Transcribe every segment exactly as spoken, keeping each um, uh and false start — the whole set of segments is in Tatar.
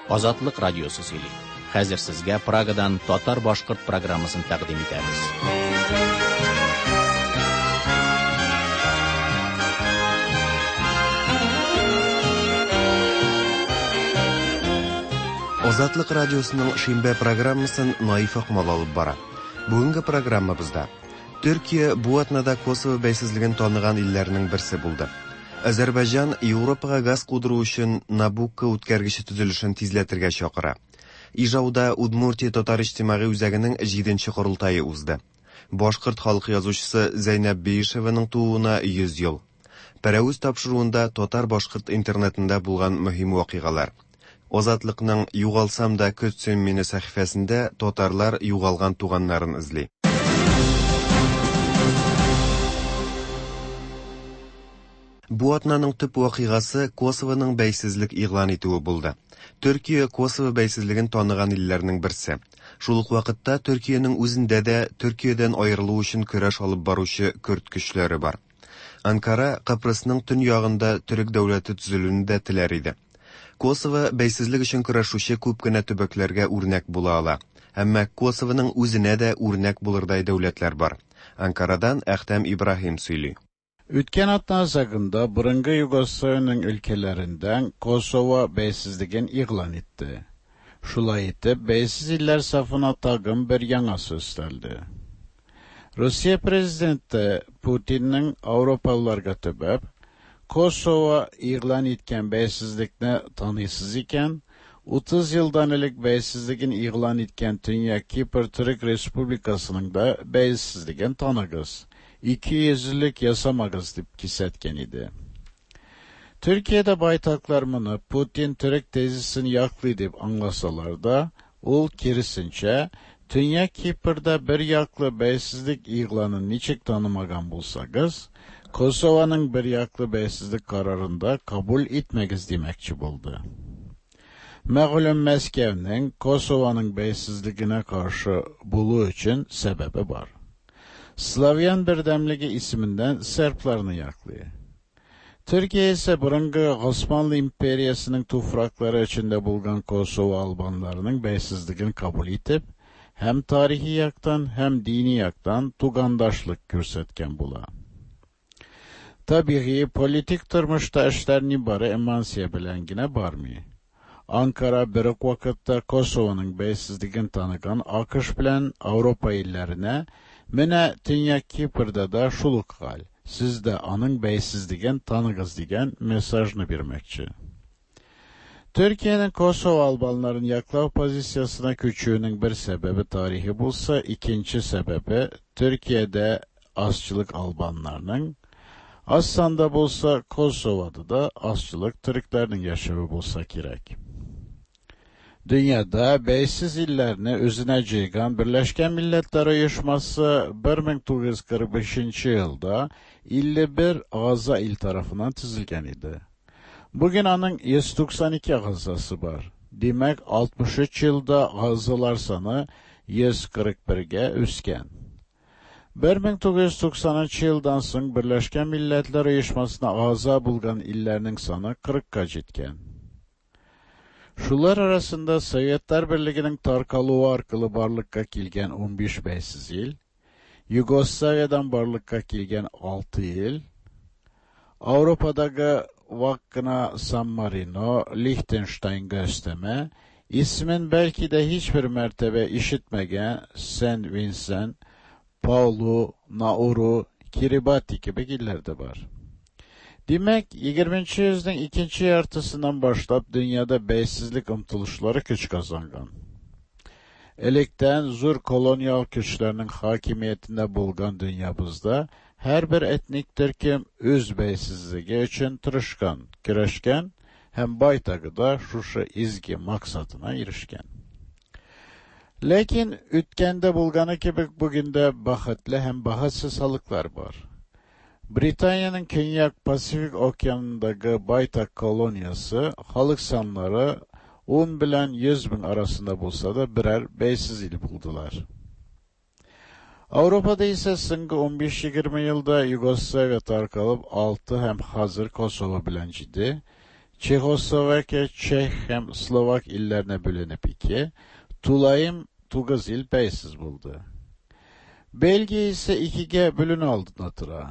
Азатлык радиосы сөйли. Хәзер сезгә Прагадан татар-башкорт программасын тәкъдим итәбез. Азатлык радиосының шимбә программасын Наиф Акмал алып бара. Бүгенге программабызда Төркия бу атнада Косово бәйсезлеген таныган илләрнең берсе булды. Азәрбайҗан Европага газ кудыру өчен Набукко үткәргече төзелешен тизләтергә чакыра. Ижауда Удмуртия татар иҗтимагый үзәгенең җиденче корылтае узды. Башкорт халык язучысы Зәйнәб Биишеваның тууына йөз ел. Пәрәвез тапшыруында татар-башкорт интернетында булган мөһим вакыйгалар. Азатлыкның «Югалсам да көт син мине» сәхифәсендә татарлар югалган туганнарын эзли. Бу атнаның төп вакыйгасы Косовоның бәйсезлек игълан итүе булды. Төркия Косово бәйсезлеген таныган илләрнең берсе. Шул ук вакытта Төркиянең үзендә дә Төркиядән аерылу өчен көрәш алып баручы көрд көчләре бар. Анкара Кыпрысның төньягында төрек дәүләте төзелүен дә теләр иде. Косово бәйсезлек өчен көрәшүче күп кенә төбәкләргә үрнәк була ала. Әмма Косовоның үзенә дә үрнәк булырдай дәүләтләр бар. Анкарадан Әхтәм Ибраһим сөйли. Үткән атна азагында борынгы Югославиянең өлкәләреннән Косово бәйсезлеген игълан итте. Шулай итеп, бәйсез илләр сафына тагын бер яңасы өстәлде. Русия президенты Путинның Авропалыларга төбәп, Косово игълан иткән бәйсезлекне таныйсыз икән, утыз елдан элек бәйсезлеген игълан иткән Төньяк Кипр Төрек Республикасының да бәйсезлеген таныгыз. Ике йөзлелек ясамагыз дип кисәткән иде. Төркиядә байтаклар моны Путин төрек тезисен яклый дип аңласалар да, ул киресенчә, Төньяк Кипрда бер яклы бәйсезлек игъланын ничек танымаган булсагыз, Косованың бер яклы бәйсезлек карарын да кабул итмәгез димәкче булды. Мәгълүм Мәскәүнең Косованың бәйсезлегенә каршы булу өчен сәбәбе бар. Славян бердәмлеге исеменнән сербларны яклый. Төркия исә борынгы Османлы империясының туфраклары эчендә булган Косово албаннарының бәйсезлеген кабул итеп, һәм тарихи яктан, һәм дини яктан тугандашлык күрсәткән була. Табигый, политик тормышта эшләр нибары эмансия белән генә бармый. Анкара бер үк вакытта Косованың бәйсезлеген таныган АКШ белән Авропа илләренә менә Төньяк Кипрда да шул ук хәл, сез дә аның бәйсезлеген таныгыз дигән мессажны бирмәкче. Төркиянең Косово албаннарын яклау позициясенә күчүенең бер сәбәбе тарихи булса, икенче сәбәбе Төркиядә азчылык албаннарның, аз санда булса Косовода да азчылык төрекләрнең яшәве булса кирәк. Dünyada бәйсез илләрне үзенә җыйган Берләшкән Милләтләр Оешмасы бер мең тугыз йөз кырык бишенче елда илле бер агъза ил тарафыннан төзелгән иде. Бүген аның йөз туксан ике агъзасы бар. Димәк, алтмыш өч елда агъзалар саны йөз кырык бергә үскән. Бер мең тугыз йөз туксанынчы елдан соң Берләшкән Милләтләр Оешмасына агъза булган илләрнең саны кырыкка җиткән. Шулар арасында Советлар Берлегенең таркалуы аркылы барлыкка килгән унбиш бәйсез ил, Югославиядан барлыкка килгән алты ил, Авропадагы вак кына Сан Марино, Лихтенштайнга өстәмә, исемен бәлки дә һичбер мәртәбә ишетмәгән Сен Винсент, Паулу, Науру, Кирибати кебек илләр дә бар. Димәк, егерменче йөзнең икенче яртысыннан башлап дөньяда бәйсезлек омтылышлары көч казанган. Электән зур колониал көчләрнең хакимиятендә булган дөньябызда һәрбер этник төркем үз бәйсезлеге өчен тырышкан, көрәшкән һәм байтагы да шушы изге максатына ирешкән. Ләкин үткәндә булганы кебек бүген дә бәхетле һәм бәхетсез халыклар бар. Британиянең Көньяк Пасифик океанындагы байтак колониясе халык саннары ун белән йөз мең арасында булса да берәр бәйсез ил булдылар. Авропада исә соңгы унбиш-егерме елда Югославия таркалып алты һәм хәзер Косово белән җиде, Çexoslovakiya, Çex һәм Словак илләренә бүленеп ике, тулаем тугыз ил бәйсез булды. Belgiya ise ikigә бүленү алдында тора.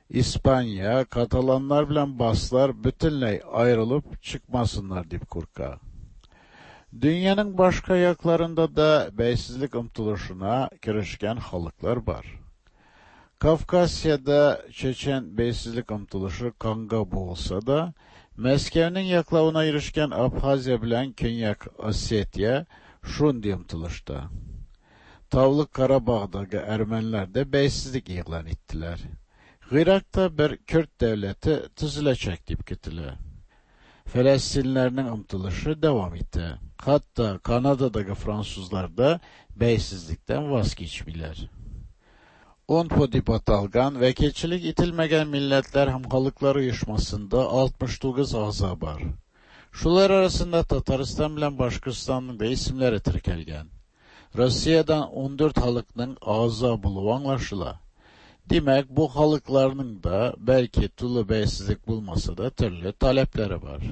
İspanya, Katalanlar белән Басклар бөтенләй аерылып чыкмасыннар дип курка. Dünyanın başka yaklarında da bәйсезлек омтылышына керешкән халыклар бар. Kafkasya'da Çeçen bәйсезлек омтылышы канга буылса да, Мәскәүнең яклавына ирешкән Абхазия белән Көньяк Осетия шундый омтылышта. Таулы Карабагдагы әрмәнләр дә бәйсезлек игълан иттеләр. Гыйракта бер Көрд дәүләте төзеләчәк дип көтелә. Фәләстинләрнең омтылышы дәвам итә. Хәтта Канададагы французлар да бәйсезлектән ваз кичмиләр. UNPO дип аталган вәкилчелек ителмәгән милләтләр һәм халыклар оешмасында алтмыш тугыз әгъза бар. Шулар арасында Татарстан белән Башкортстанның да исемнәре теркәлгән. Россиядән ундүрт халыкның әгъза булуы аңлашыла. Димәк, бу халыкларның да бәлки тулы бәйсезлек булмаса да төрле таләпләре бар.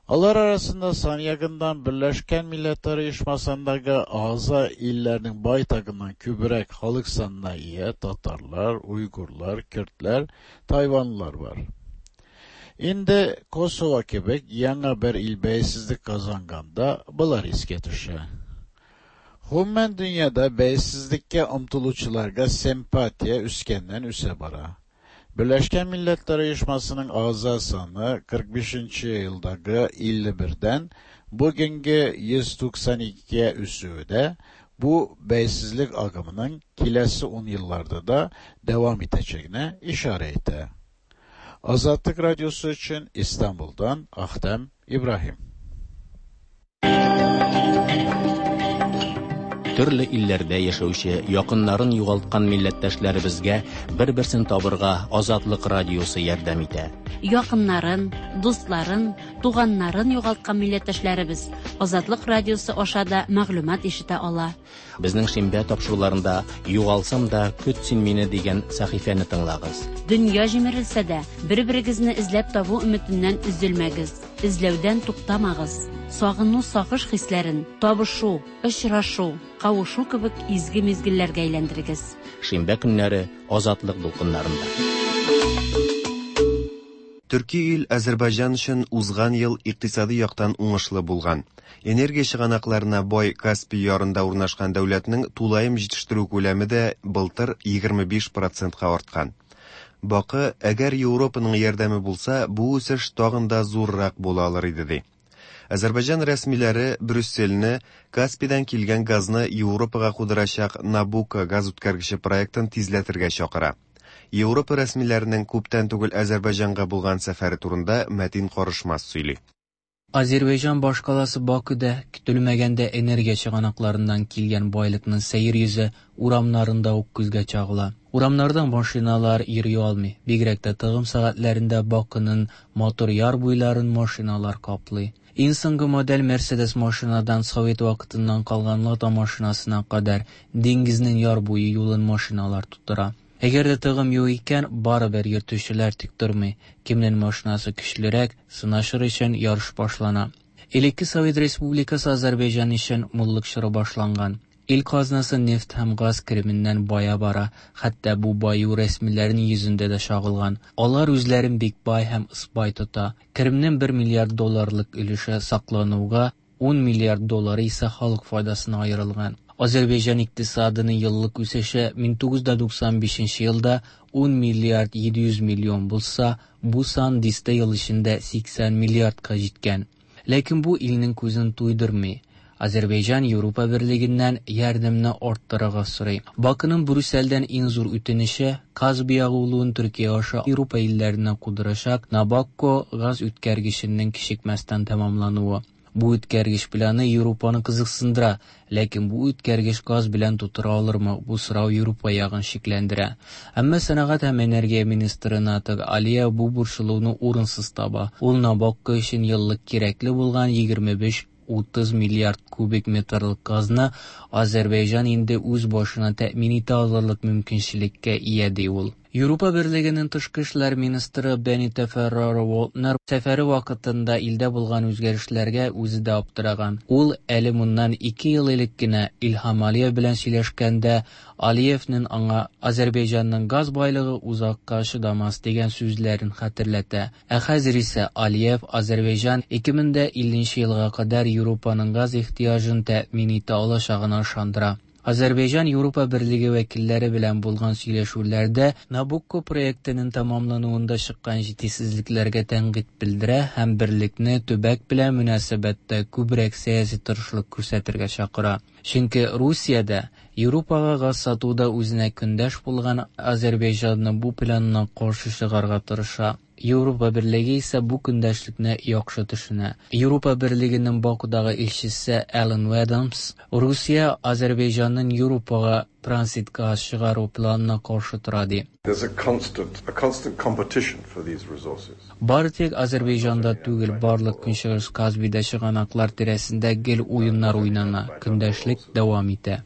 Алар арасында сан ягыннан Берләшкән Милләтләр Оешмасындагы әгъза илләрнең байтагыннан күбрәк халык санына ия татарлар, уйгурлар, көрдләр, тайванлылар бар. Инде Косово кебек яңа бер ил бәйсезлек казанганда болар искә төшә. Гомумән дөньяда бәйсезлеккә омтылучыларга симпатия үскәннән үсә бара. Берләшкән Милләтләр Оешмасының әгъза саны кырык бишенче елдагы илле бердән бүгенге йөз туксан икегә үсүе дә бу бәйсезлек агымының киләсе ун елларда да дәвам итәчәгенә ишарә итә. Азатлык радиосы өчен Истанбулдан Ахтем Ибраһим. Төрле илләрдә яшәүче якыннарын югалткан милләттәшләребезгә бер-берсен табырга Азатлык радиосы ярдәм итә. Якыннарын, дусларын, туганнарын югалткан милләттәшләребез Азатлык радиосы аша да мәгълүмат ишетә ала. Безнең шимбә тапшыруларында Югалсам да көт син мине дигән сәхифәне тыңлагыз. Дөнья җимерелсә дә, бер-берегезне эзләп табу өметеннән өзелмәгез, эзләүдән туктамагыз. Сагыну, сагыш хисләрен табышу, очрашу, кавышу кебек изге мизгелләргә әйләндерегез. Шимбә көннәре Азатлык дулкыннарында. Төрки ил Азербайҗан өчен узган ел икътисади яктан уңышлы булган. Энергия чыганакларына бай Каспий ярында урнашкан дәүләтнең тулаем җитештерү күләме дә былтыр егерме биш процентка арткан. Бакы, әгәр Европаның ярдәме булса, бу үсеш тагын да зуррак була алыр иде, ди. Азербайҗан рәсмиләре Брюссельне Каспийдан килгән газны Европага кудырачак Набуко газ үткәргече проектын тизләтергә чакыра. Европа рәсмиләренең күптән түгел Азербайҗанга булган сәфәре турында Мәтин Карышмас сөйли. Азербайҗан башкаласы Бакуда көтелмәгәндә энергия чыганакларыннан килгән байлыкның сәер йөзе урамнарында ук күзгә чагыла. Урамнарда машиналар йөри алмый. Бигрәк тә тыгым сәгатьләрендә Бакуның матур яр буйларын машиналар каплый. Иң соңгы модель Мерседес машинадан Совет вакытыннан калган Лада машинасына кадәр диңгезнең яр буе юлын машиналар тутыра. Әгәр дә тыгым юк икән, барыбер йөртүчеләр тик тормый. Кемнең машинасы көчлерәк, сынашыр өчен ярыш башлана. Элекке Совет Республикасы Азербайҗан өчен муллык чоры башланган. Ил казнасы нефть һәм газ кеременнән бая бара, хәтта бу баю рәсмиләрнең йөзендә дә чагылган. Алар үзләрен бик бай һәм ыспай тота. Керемнең бер миллиард долларлык өлеше саклануга, ун миллиард доллары исә халык файдасына аерылган. Азербайҗан икътисадының еллык үсеше мең тугыз йөз туксан бишенче елда ун миллиард җиде йөз миллион булса, бу сан дистә ел эчендә сиксән миллиардка җиткән. Ләкин бу илнең күзен туйдырмый. Азербайҗан Европа Берлегеннән ярдәмне арттырырга сорый. Бакының Брюссельдән иң зур үтенече Каспий агулуын Төркия аша Европа илләренә кудырачак Набукко газ үткәргеченең кичекмәстән тәмамлануы. Бу үткәргеч планы Европаны кызыксындыра, ләкин бу үткәргеч газ белән тутыра алырмы? Бу сорау Европа ягын шикләндерә. Әмма сәнәгать һәм энергия министры Натык Алиев бу борчылуны урынсыз таба. Ул Набукко өчен еллык кирәкле булган егерме биш утыз миллиард кубик метрлык газны Азербайҗан инде үз башына тәэмин итә алырлык мөмкинчелеккә ия, ди ул. Европа Берлегенең тышкы эшләр министры Бенита Ферреро-Валднер сәфәре вакытында илдә булган үзгәрешләргә үзе дә аптыраган. Ул әле моннан ике ел элек кенә Илһам Алиев белән сөйләшкәндә Алиевның аңа Азәрбайҗанның газ байлыгы озакка чыдамас дигән сүзләрен хәтерләтә. Ә хәзер исә Алиев Азәрбайҗан ике мең дә илленче елга кадәр Европаның газ ихтыяҗын тәэмин итә алачагына ышандыра. Азәрбайҗан Европа Берлеге вәкилләре белән булган сөйләшүләрдә Набукко проектының тәмамлануында чыккан җитешсезлекләргә тәнкыйть белдерә һәм берлекне төбәк белән мөнәсәбәттә күбрәк сәяси тырышлык күрсәтергә чакыра. Чөнки Русиядә Европага газ сатуда үзенә көндәш булган Азәрбайҗанның бу планына каршы чыгарга тырыша. Европа Берлеге исә бу көндәшлекне яхшы төшенә. Европа Берлегенең Бакудагы илчесе Алан Адамс Русия Азәрбайҗанның Европага транзит газ чыгару планына каршы тора ди. There's a constant, a constant competition for these resources. Бары тик Азәрбайҗанда түгел, барлык Көнчыгыш Каспийда чыганаклар тирәсендә гел уеннар уйнана, көндәшлек дәвам итә.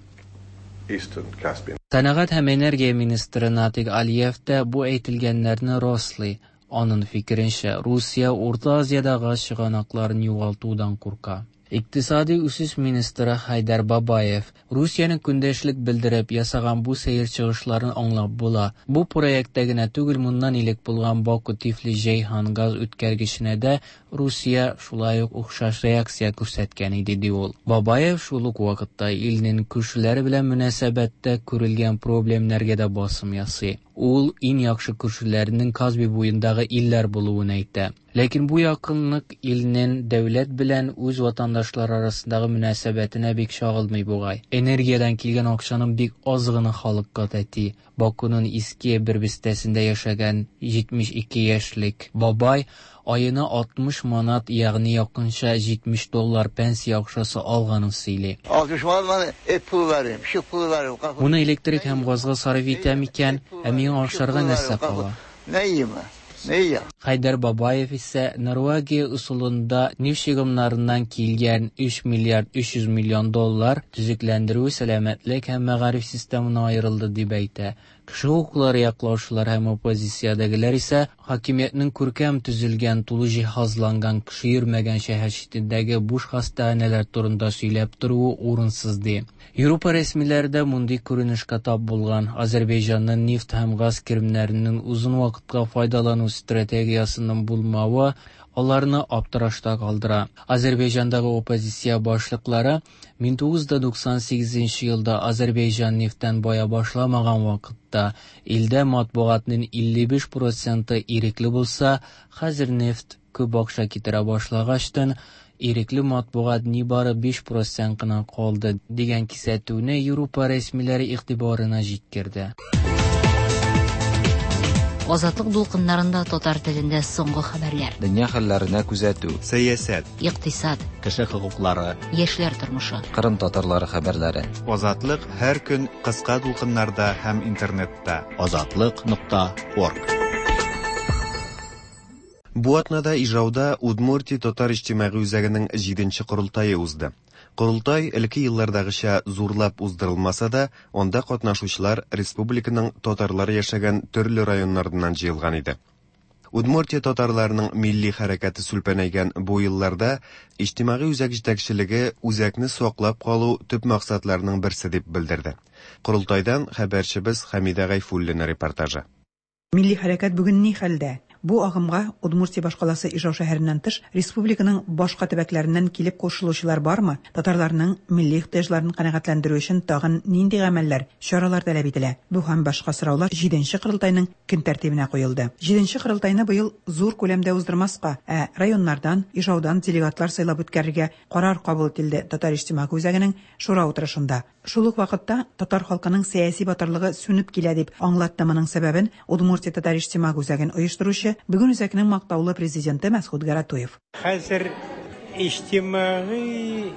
Eastern Caspian. Сәнәгать һәм энергия министры Натик Алиев та бу әйтелгәннәрне раслый. Аның фикеренчә, Русия Урта Азиядә газ чыганакларын югалтудан курка. Икътисади үсеш министры Хайдар Бабаев Русиянең көндәшлек белдереп ясаган бу сәер чыгышларын аңлап була. Бу проектта генә түгел, моннан элек булган Баку-Тифлис-Җәйһан газ үткәргеченә дә Русия шулай ук охшаш реакция күрсәткән иде, ди ул. Бабаев шул ук вакытта илнең күршеләре белән мөнәсәбәттә күрелгән проблемнәргә дә басым ясый. Ул иң яхшы күршеләренең Каспий буендагы илләр булуын әйтә. Ләкин бу якынлык илнең дәүләт белән үз ватандашлары арасындагы мөнәсәбәтенә бик чагылмый бугай. Энергиядән килгән акчаның бик аз гына халыкка тәти. Бакуның иске бер бистәсендә яшәгән җитмеш ике яшьлек бабай аена алтмыш манат, ягъни якынча җитмеш доллар пенсия акчасы алганын сөйли. Алтмыш манат мана эт пулы бар, пешек пулы бар. Моны электрик һәм газга сарыф итәм икән, ә миңа ашарга нәрсә кала? Нәйме? Нәйе? Хайдар Бабаев исә Норвегия ысулында нефть чыгымнарыннан килгән өч миллиард өч йөз миллион доллар төзекләндерү, сәламәтлек һәм мәгариф системына аерылды дип әйтә. Кеше хокуклары яклаучылар һәм оппозициядәгеләр исә хакимиятнең күркәм төзелгән, тулы җиһазланган, кеше йөрмәгән шәһәр читендәге буш хастаханәләр турында сөйләп торуы урынсыз ди. Европа рәсмиләре дә мондый күренешкә тап булган. Азәрбайҗанның нефть һәм газ керемнәренең озын вакытка файдалану стратегиясының булмавы аларны аптырашта калдыра. Азәрбайҗандагы оппозиция башлыклары мең тугыз йөз туксан сигезенче елда Азәрбайҗан нефтьтән бая башламаган вакытта илдә матбугатның илле биш проценты ирекле булса, хәзер нефть күп акча китерә башлагачтан ирекле матбугат нибары биш процент кына калды дигән кисәтүне Европа рәсмиләре игътибарына җиткерде. Азатлык дулкыннарында татар телендә соңгы хәбәрләр. Дөнья хәлләренә күзәтү. Сәясәт. Икътисад. Кеше хокуклары. Яшьләр тормышы. Кырым татарлары хәбәрләре. Азатлык һәр көн кыска дулкыннарда һәм интернетта. Азатлык нокта орг. Бу атнада Ижауда Удмуртия татар иҗтимагый үзәгенең җиденче корылтае узды. Корылтай элекке еллардагыча зурлап уздырылмаса да, анда катнашучылар республиканың татарлары яшәгән төрле районнарыннан җыелган иде. Удмуртия татарларының милли хәрәкәте сүлпәнәйгән бу елларда иҗтимагый үзәк җитәкчелеге үзәкне саклап калу төп максатларының берсе дип белдерде. Корылтайдан хәбәрчебез Хәмидә Гайфуллина репортажы. Милли хәрәкәт бүген ни хәлдә? Бу агымга Удмуртия башкаласы Ижау шәһәреннән тыш республиканың башка төбәкләреннән килеп кушылучылар бармы? Татарларның милли ихтыяҗларын канәгатьләндерү өчен тагын нинди гамәлләр, чаралар таләп ителә? Бу һәм башка сораулар җиденче корылтайның көн тәртибенә куелды. Җиденче корылтайны быел зур күләмдә уздырмаска, ә районнардан, Ижаудан делегатлар сайлап үткәрергә карар кабул ителде Татар иҗтимагый үзәгенең шура утырышында. Шул ук вакытта татар халкының сәяси батырлыгы сүнеп килә дип аңлатты моның сәбәбен Удмуртия татар иҗтимагый үзәген оештыручы, бүген үзәкнең мактаулы президенты Мәсхүт Гаратуев. Хәзер иҗтимагый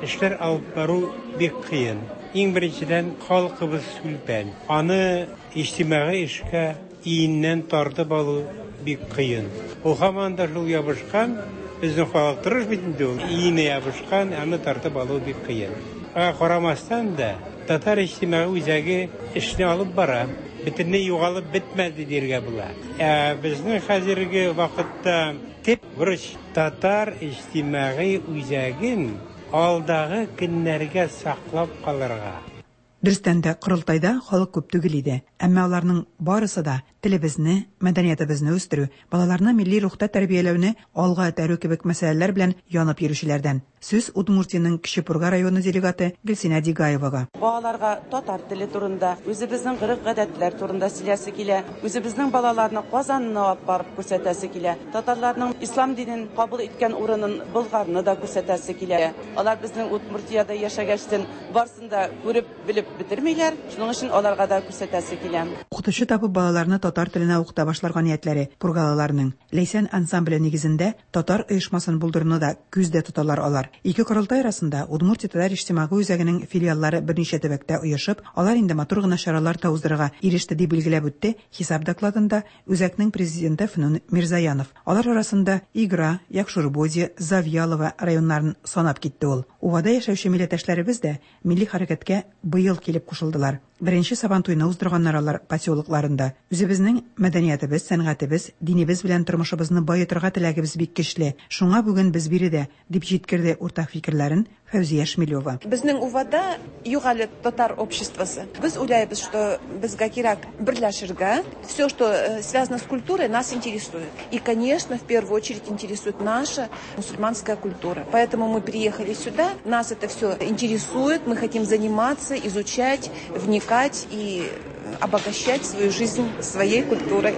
эшләр алып бару бик кыен. Иң беренчедән халкыбыз сүлпән. Аны иҗтимагый эшкә иеннән тартып алу бик кыен. Ул һаман да шул ябышкан, безнең халык тырыш бит инде ул. Иенә ябышкан, аны тартып алу бик кыен. Аңа карамастан да Татар иҗтимагый үзәге эшне алып бара. Бөтенләй югалып бетмәде дияргә була. Ә безнең хәзерге вакытта төп бурыч татар иҗтимагый үзәген алдагы көннәргә саклап калырга. Дөрестән дә, корылтайда халык күп түгел иде. Әмма аларның барысы да телебезне, мәдәниятебезне үстерү, балаларны милли рухта тәрбияләүне алга этәрү кебек мәсьәләләр белән янып йөрүчеләрдән. Сүз Удмуртиянең Кече Пурга районы делегаты Гөлсинә Дигаевага. Балаларга татар теле турында, үзебезнең гореф-гадәтләр турында сөйләсе килә, үзебезнең балаларны Казанны алып барып күрсәтәсе килә, татарларның ислам динен кабул иткән урынын Болгарны да күрсәтәсе килә. Алар безнең Удмуртиядә яшәгәчтен барсын да күреп, белеп бетермиләр, шуның өчен аларга да күрсәтәсе килә. Укытучы табып балаларны татар теленә укыта башларга ниятләре пургалыларның. Ләйсән ансамбле нигезендә татар оешмасын булдыруны да күздә тоталар алар. Ике корылтай арасында Удмуртия татар иҗтимагый үзәгенең филиаллары берничә төбәктә оешып, алар инде матур гына чаралар та уздырырга иреште, дип билгеләп үтте хисап докладында үзәкнең президенты Фнун Мирзаянов. Алар арасында Игра, Якшурбоди, Завьялова районнарын санап китте ул. Увада яшәүче милләттәшләребез дә милли хәрәкәткә быел килеп кушылдылар. Беренче Сабантуйны уздырганнар алар поселокларында. Үзебезнең мәдәниятебез, сәнгатебез, динебез белән тормышыбызны баетырга теләгебез бик көчле. Шуңа бүген без биредә, дип җиткерде уртак фикерләрен Фәүзия Шмелева. Безнең Увада юк әле татар обществосы. Без уйлайбыз, что безгә кирәк берләшергә. Все, что связано с культурой, нас интересует. И, конечно, в первую очередь интересует наша мусульманская культура. Поэтому мы приехали сюда, нас это все интересует, мы хотим заниматься, изучать, вникать и обогащать свою жизнь своей культурой.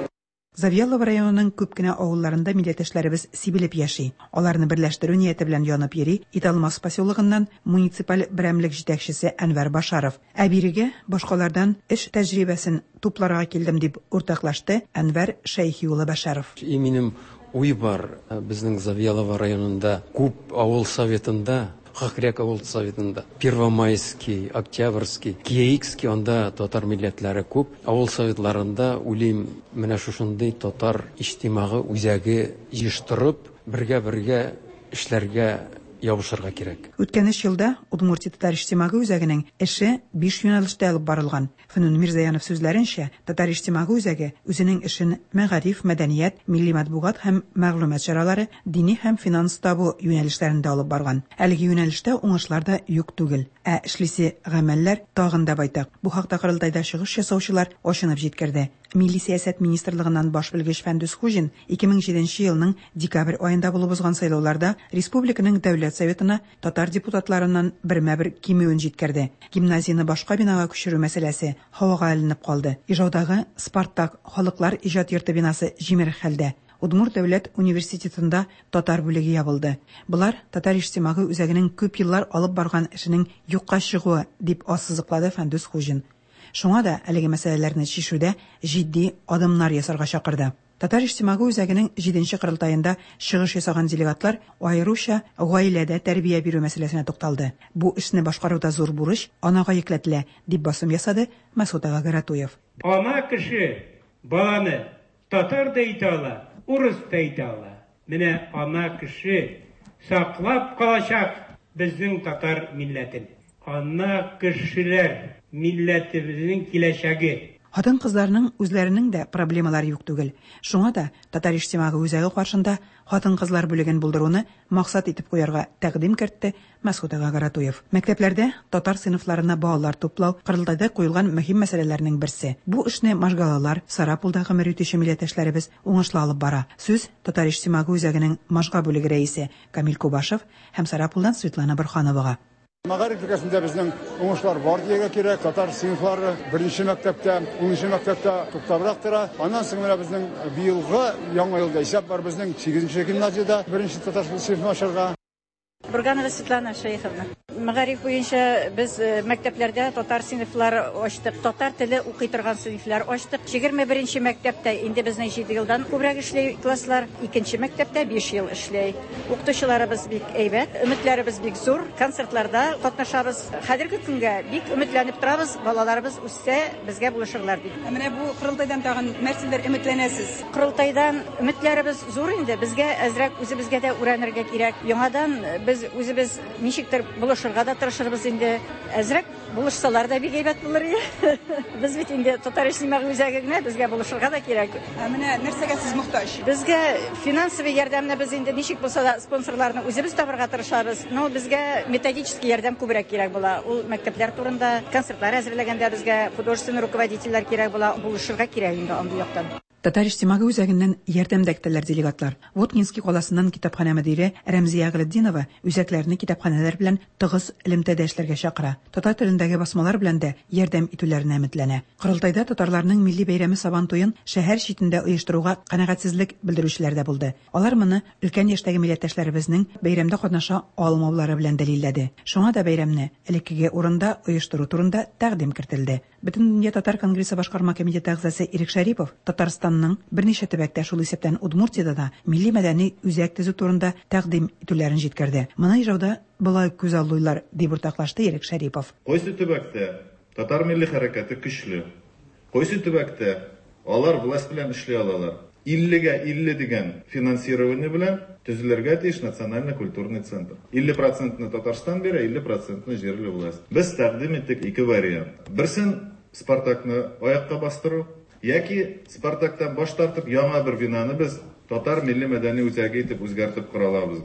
Завьялова районының күп кенә авылларында милләттәшләребез сибелеп яши. Аларны берләштерү нияте белән янып йөри Италмас поселогыннан муниципаль берәмлек җитәкчесе Әнвәр Башаров. Ә бирегә башкалардан эш тәҗрибәсен тупларга килдем, дип уртаклашты Әнвәр Шәйхи улы Башаров. И минем уй бар, безнең Завьялова районында күп авыл советында, Хакряк авыл советында, Первомайский, Октябрьский, Киекский, анда татар милләтләре күп. Авыл советларында уйлыйм, менә шушындый татар иҗтимагый үзәге җыештырып, бергә-бергә эшләргә ябышырга кирәк. Үткән өч елда Удмуртия татар иҗтимагый үзәгенең эше биш юнәлештә алып барылган. Фнун Мирзаянов сүзләренчә, татар иҗтимагый үзәге үзенең эшен мәгариф, мәдәният, милли матбугат һәм мәгълүмат чаралары, дини һәм финанс табу юнәлешләрендә алып барган. Әлеге юнәлештә уңышлар да юк түгел, ә эшлисе гамәлләр тагын да байтак. Бу хакта корылтайда чыгыш ясаучылар ачынып җиткерде. Милли сәясәт министрлыгыннан баш белгеч Фәндүс Хуҗин ике мең җиденче елның декабрь аенда булып узган сайлауларда республиканың дәүләт советына татар депутатларыннан бермә-бер кимүен җиткерде. Гимназияне башка бинага күчерү мәсьәләсе һавага эленеп калды. Ижаудагы Спартак халыклар иҗат йорты бинасы җимерек хәлдә. Удмурт дәүләт университетында татар бүлеге ябылды. Болар татар иҗтимагый үзәгенең күп еллар алып барган эшенең юкка чыгуы, дип ассызыклады Фәндүс Хуҗин. Шуңа да әлеге мәсьәләләрне чишүдә җитди адымнар ясарга чакырды. Татар иҗтимагый үзәгенең җиденче корылтаенда чыгыш ясаган делегатлар аеруча гаиләдә тәрбия бирү мәсьәләсенә тукталды. Бу эшне башкаруда зур бурыч анага йөкләтелә, дип басым ясады Мәсгут ага Гаратуев. Ана кеше баланы татар да итә ала, урыс та итә ала. Менә ана кеше саклап калачак безнең татар милләтен. Ана кешеләр милләтебезнең киләчәге. Хатын-кызларның үзләренең дә проблемалары юк түгел. Шуңа да татар иҗтимагый үзәге каршында хатын-кызлар бүлеген булдыруны максат итеп куярга тәкъдим кертте Мәсгут ага Гаратуев. Мәктәпләрдә татар сыйныфларына балалар туплау корылтайда куелган мөһим мәсьәләләрнең берсе. Бу эшне Можгалалар, Сарапулда гомер итүче милләттәшләребез уңышлы алып бара. Сүз татар иҗтимагый үзәгенең Можга бүлеге рәисе Камил Кубашев һәм Сарапулдан Светлана Бурхановага. Мәгариф өлкәсендә безнең уңышлар бар дияргә кирәк. Татар сыйныфлары беренче мәктәптә, унынчы мәктәптә туктабрак тора. Аннан соң менә безнең быелгы яңа елда исәп бар, безнең сигезенче гимназиядә беренче татар сыйныфын ачарга. Бурганова Светлана Шейховна. Мәгариф буенча без мәктәпләрдә татар сыйныфлары ачтык, татар теле укый торган сыйныфлар ачтык. Егерме беренче мәктәптә инде безнең җиде елдан күбрәк эшли класслар, икенче мәктәптә биш ел эшли. Укытучыларыбыз бик әйбәт, өметләребез бик зур, концертларда катнашабыз. Хәзерге көнгә бик өметләнеп торабыз, балаларыбыз үссә безгә булышырлар дип. Ә менә бу корылтайдан тагын нәрсәләр өметләнәсез? Корылтайдан өметләребез зур инде, безгә әзрәк үзебезгә дә өйрәнергә кирәк. Яңадан без Без үзебез ничектер булышырга да тырышырбыз инде. Әзрәк булышсалар да бик әйбәт булыр иде. Без бит инде татар иҗтимагый үзәге генә, безгә булышырга да кирәк. Ә менә нәрсәгә сез мохтаҗ? Безгә финансовый ярдәмне без инде ничек булса да спонсорларны үзебез табырга тырышабыз. Но безгә методический ярдәм күбрәк кирәк була. Ул мәктәпләр турында, концертлар әзерләгәндә безгә художественный руководительләр кирәк була, булышырга кирәк инде андый яктан. Татар иҗтимагый үзәгеннән ярдәм дә көтәләр делегатлар. Воткинский каласыннан китапханә мөдире Рәмзия Гыйлетдинова үзәкләрне китапханәләр белән тыгыз элемтәдә эшләргә чакыра. Татар телендәге басмалар белән дә ярдәм итүләренә өметләнә. Корылтайда татарларның милли бәйрәме Сабан туен шәһәр читендә оештыруга канәгатьсезлек белдерүчеләр дә булды. Алар моны өлкән яшьтәге милләттәшләребезнең бәйрәмдә катнаша алмаулары белән дәлилләде. Шуңа да бәйрәмне элеккеге урында оештыру турында тәкъдим кертелде. Бөтендөнья татар конгрессы башкарма комитеты әгъзасы Ирек Шәрипов Татарстанның берничә төбәктә, шул исәптән Удмуртиядә дә милли мәдәни үзәк төзү турында тәкъдим итүләрен җиткерде. Моны Ижауда болай күзаллыйлар, дип уртаклашты Ирек Шәрипов. Кайсы төбәктә татар милли хәрәкәте көчле? Кайсы төбәктә алар власть белән эшли алалар? Иллегә илле дигән финансирование белән төзелергә тиеш национально-культурный центр. Илле процентны Татарстан бирә, илле процентны җирле власть. Без тәкъдим иттек ике вариант. Берсен Спартакны аякка бастыру, яки Спартактан баш тартып яңа бер бинаны без татар милли мәдәни үзәге итеп үзгәртеп кора алабыз.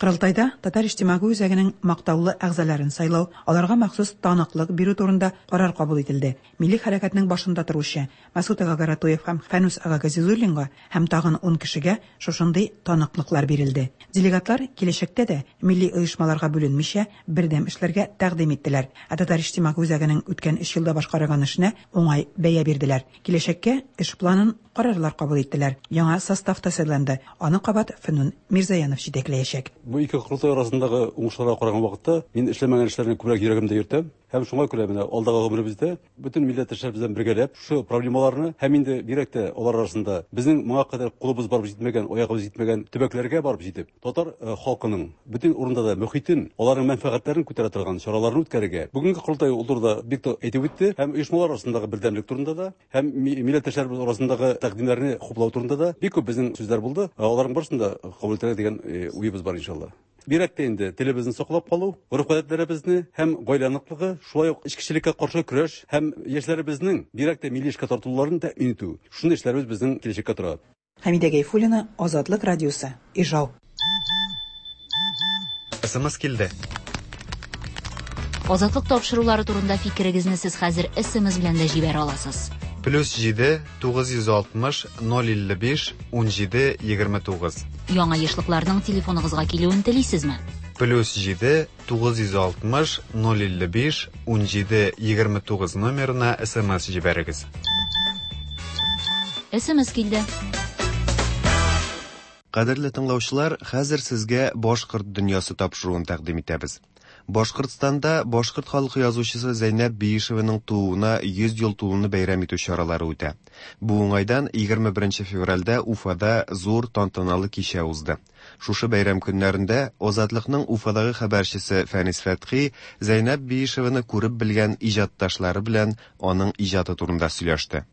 Корылтайда Татар иҗтимагый үзәгенең мактаулы әгъзаларын сайлау, аларга махсус таныклык бирү турында карар кабул ителде. Милли хәрәкәтнең башында торучы Мәсгут ага Гаратуев һәм Фәнүс ага Газизуллинга һәм тагын ун кешегә шушындый таныклыклар бирелде. Делегатлар киләчәктә дә милли оешмаларга бүленмичә бердәм эшләргә тәкъдим иттеләр. Ә Татар иҗтимагый үзәгенең үткән өч елда башкарган эшенә уңай бәя бирделәр. Киләчәккә эш планын карарлар кабул иттеләр. Яңа состав та сайланды. Аны кабат Фәнүн Мирзаянов җитәкләячәк. Бу ике корылтай арасындагы уңышларга караган вакытта мин эшләмәгән эшләрне күбрәк йөрәгемдә йөртәм. Һәм шуңа күрә менә алдагы гомеребездә бөтен милләттәшләр белән бергәләп шушы проблемаларны һәм инде бигрәк тә алар арасында безнең моңа кадәр кулыбыз барып җитмәгән, аягыбыз җитмәгән төбәкләргә барып җитеп, татар халкының бөтен урында да мөхитен, аларның мәнфәгатьләрен күтәрә торган чараларны үткәрергә. Бүгенге корылтай ул турыда бик тә әйтеп үтте һәм оешмалар арасындагы бердәмлек турында да, һәм милләттәшләребез арасындагы тәкъдимнәрне хуплау турында да бик күп безнең сүзләр булды. Аларның барысын да кабул итәргә дигән уебыз бар иншалла. Бигрәк тә инде телебезне саклап калу, гореф-гадәтләребезне һәм гаилә ныклыгы, шулай ук эчкечелеккә каршы көрәш һәм яшьләребезнең бигрәк тә милли эшкә тартылуларын тәэмин итү. Шундый эшләребез безнең киләчәккә тора. Хәмидә Гайфуллина, Азатлык радиосы, Ижау. С М С килде. Азатлык тапшырулары турында фикерегезне сез хәзер С М С белән дә җибәрә аласыз. Плюс җиде тугыз йөз алтмыш ноль илле биш унҗиде егерме тугыз. Яңа ешлыкларның телефоныгызга килүен телисезме? Плюс җиде тугыз йөз алтмыш ноль илле биш унҗиде егерме тугыз номерына С М С җибәрегез. С М С килде. Кадерле тыңлаучылар, хәзер сезгә Башкорт дөньясы тапшыруын тәкъдим итәбез. Башкортстанда башкорт халкы язучысы Зәйнәб Биишеваның тууына йөз ел тулуны бәйрәм итү чаралары үтә. Бу уңайдан егерме беренче февральдә Уфада зур тантаналы кичә узды. Шушы бәйрәм көннәрендә Азатлыкның Уфадагы хәбәрчесе Фәнис Фәтхи Зәйнәб Биишеваны күреп белгән иҗатташлары белән аның иҗаты турында сөйләште.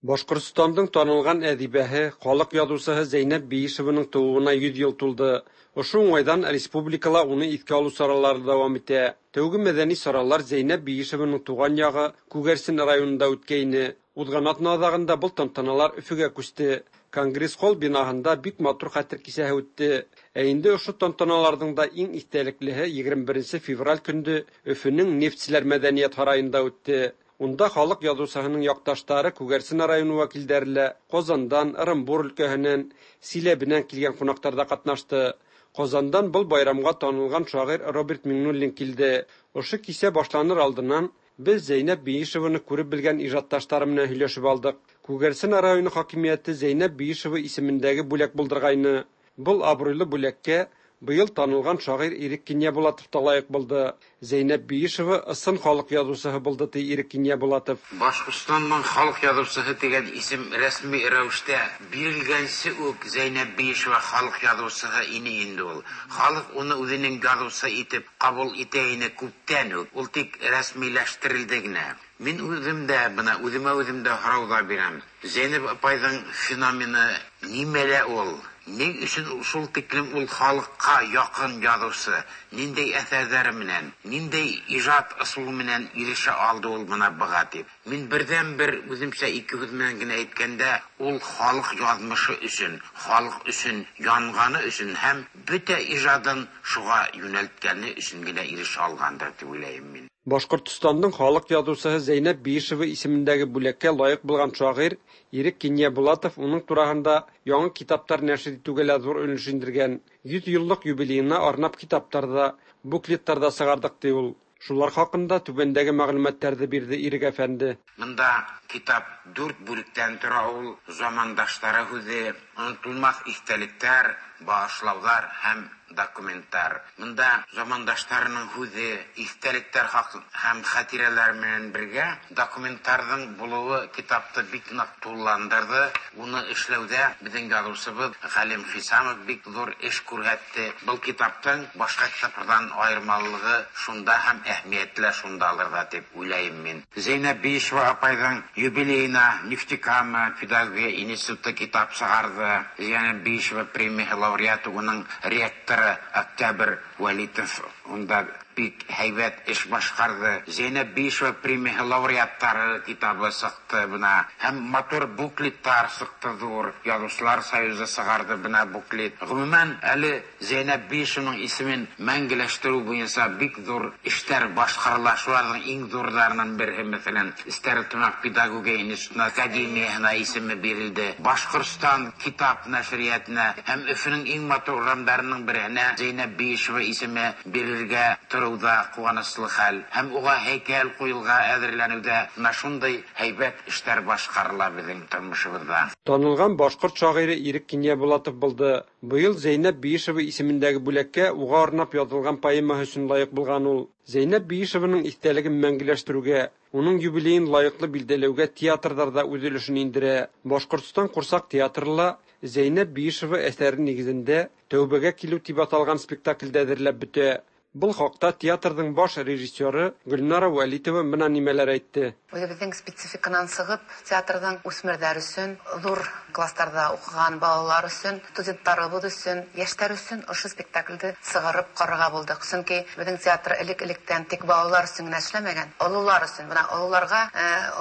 Башкортстандың танылган әдибәһе, халык язучысы Зәйнәб Биишеваның тууына йөҙ йыл тулды. Ошо уңайдан республикала уны иҫкә алыу саралары дауам итә. Тәүге мәҙәни саралар Зәйнәб Биишеваның туған яғы Күгәрсен районында үткәйне. Уҙған аҙна аҙағында был тантаналар Өфөгә күсте. Конгресс-холл бинаһында бик матур хәтер кисәһе үтте. Ә инде ошо тантаналарҙың да иң иҫтәлеклеһе егерме беренсе февраль көндө Өфөнөң Нефтселәр мәҙәниәт һарайында үтте. Унда халыҡ яҙыусыһының яҡташтары Күгәрсен районы вәкилдәре лә, Ҡазандан, Ырымбур өлкәһенән, Силәбенән килгән ҡунаҡтар да ҡатнашты. Ҡазандан был байрамға танылған шағир Роберт Миңнуллин килде. Ошо кисә башланыр алдынан беҙ Зәйнәб Биишеваны күреп белгән ижадташтары менән һөйләшеп алдыҡ. Күгәрсен районы хакимиәте Зәйнәб Биишева исемендәге бүләк булдырғайны. Был абруйлы бүләккә быйыл танылған шағир Ирек Кинйәбулатов та лайыҡ булды. Зәйнәб Биишева ысын халыҡ яҙыусыһы булды, ти Ирек Кинйәбулатов. Башҡортостандың халыҡ яҙыусыһы тигән исем рәсми рәүештә бирелгәнсе үк Зәйнәб Биишева халыҡ яҙыусыһы ине инде ул. Халыҡ уны үҙенең яҙыусы итеп ҡабул итә ине күптән үк. Ул тик рәсмиләштерелде генә. Мин үҙем дә бына үҙемә үҙем дә һорау ҙа бирәм. Зәйнәб апайҙың феномены нимәлә ул? Ни өчен шул тиклем ул халыкка якын язучы, ниндәй әсәрләре менән, ниндәй ижат ысулы менән ирешә алды ул мына быга дип. Мин бердән-бер үземчә ике һүз менән генә әйткәндә, ул халык язмышы өчен, халык өчен янганы өчен һәм бөтә ижадын шуга юнәлткәне өчен генә ирешә алгандыр дип уйлыйм мин. Башкортстанның халык язучысы Зәйнәб Биишева исемендәге бүләккә лаек булган шагыйрь Ирек Киньябулатов уның турагында яңа китаплар нәшер итүгә лә зур өлеш индергән. Йөз еллык юбилеена арнап китаплар да, буклетлар да чыгардык ди ул. Шулар хакында түбәндәге мәгълүматларны бирде Ирек әфәнде. Монда китап дүрт бүлектән тора ул: замандашлары һүзе, онытылмас истәлекләр, багышлаулар һәм документлар. Монда замандашларының һүзе, истәлекләр һәм хатирәләр белән бергә документларның булуы китапты бик нык тулыландырды. Уны эшләүдә безнең язучыбыз Галим Хисамов бик зур эш күрсәтте. Был китаптың башка китаплардан аермалылыгы шунда һәм әһәмиятле шундалыр да дип уйлыйм мин. Зәйнәб Биишева апайның юбилеена Нефтекама педагогия институты китап чыгарды. Зәйнәб Биишева премия лауреаты, уның ректоры Октябрь Вәлитов унда бик һәйбәт эш башкарды. Зәйнәб Биишева премия лауреаттары китабы чыкты бына. Һәм матур буклетлар чыкты зур. Язучылар союзы чыгарды бына буклет. Гомумән, әле Зәйнәб Биишеваның исемен мәңгеләштерү буенча бик зур эшләр башкарыла. Шуларның иң зурларының бере, мәсәлән, Стәрлетамак педагогия институтына академияһына исеме бирелде. Башкортстан китап нәшриятына һәм Өфөнең иң матур урамдарының беренә Зәйнәб Биишева исеме бирелергә торуда куанычлы хәл. Һәм уга һәйкәл куелга әзерләнүдә менә шундый һәйбәт эшләр башкарыла безнең тормышыбызда. Танылган башкорт шагыйре Ирек Киньябулатов булды. Быел Зәйнәб Биишева исемендәге бүләккә уга арнап язылган поэма өчен лаек булган ул. Зәйнәб Биишеваның истәлеген мәңгеләштерүгә, уның юбилеен лаеклы билдәләүгә театрлар да үз өлешен индерә. Башкортстан курсак театры Зәйнәб Биишева әсәре нигезендә Тәүбәгә килү дип аталган спектакльдә әзерләп бетә. Был хакта театрның баш режиссеры Гөлнара Вәлитова менә нимәләр әйтте. Үзебезнең спецификанан чыгып, театрның үсмерләр өчен, зур классларда укыган балалар өчен, студентларыбыз өчен, яшьләр өчен ошо спектакльне чыгарып карарга булдык. Чөнки безнең театр элек-электән тик балалар өчен генә эшләмәгән, олылар өчен, менә олыларга,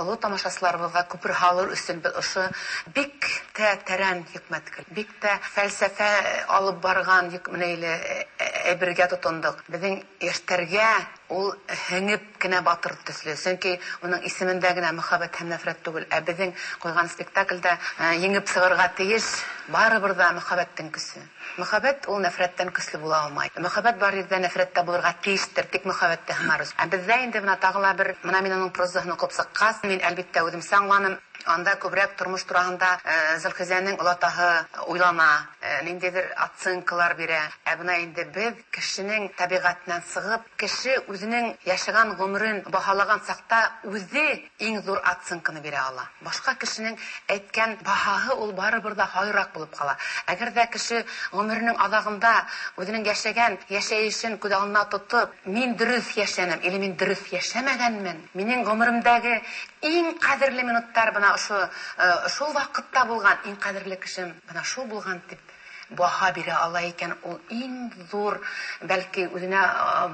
олы тамашачыларыбызга күпер һалыр өчен без ошо бик тә тәрән хикмәт, бик тә фәлсәфә алып барган хикмәтле әйбергә тотындык. Яшьтәргә ул һеңеп кенә батыр төсле. Чөнки уның исемендә генә мөхәббәт һәм нәфрәт түгел, ә безнең куйган спектакльдә еңеп чыгарга тиеш барыбер да мөхәббәттең көче. Мөхәббәт ул нәфрәттән көчле була алмай. Мөхәббәт бар җирдә нәфрәт тә булырга тиештер, тик мөхәббәттә һынарыз. Ә бездә инде менә тагы ла бер, менә мин аның прозасын укып чыккач, мин әлбиттә үзем аңланым. Анда күбрәк тормыш турында Зөлхизәнең олатаһы уйлана, ниндидер оценкалар бирә. Ә бына инде без кешенең табигатеннән чыгып, кеше үзенең яшәгән гомерен баһалаган чакта үзе иң зур оценканы бирә ала. Башка кешенең әйткән баһаһы ул барыбер дә хайрак булып кала. Әгәр дә кеше гомеренең азагында үзенең яшәгән яшәешен күз алдына тотып, мин дөрес яшәнем или мин дөрес яшәмәгәнмен, минем гомеремдәге иң кадерле минутлар бына ошо шул вакытта булган, иң кадерле кешем бына шул булган дип баһа бирә ала икән, ул иң зур, бәлки үзенә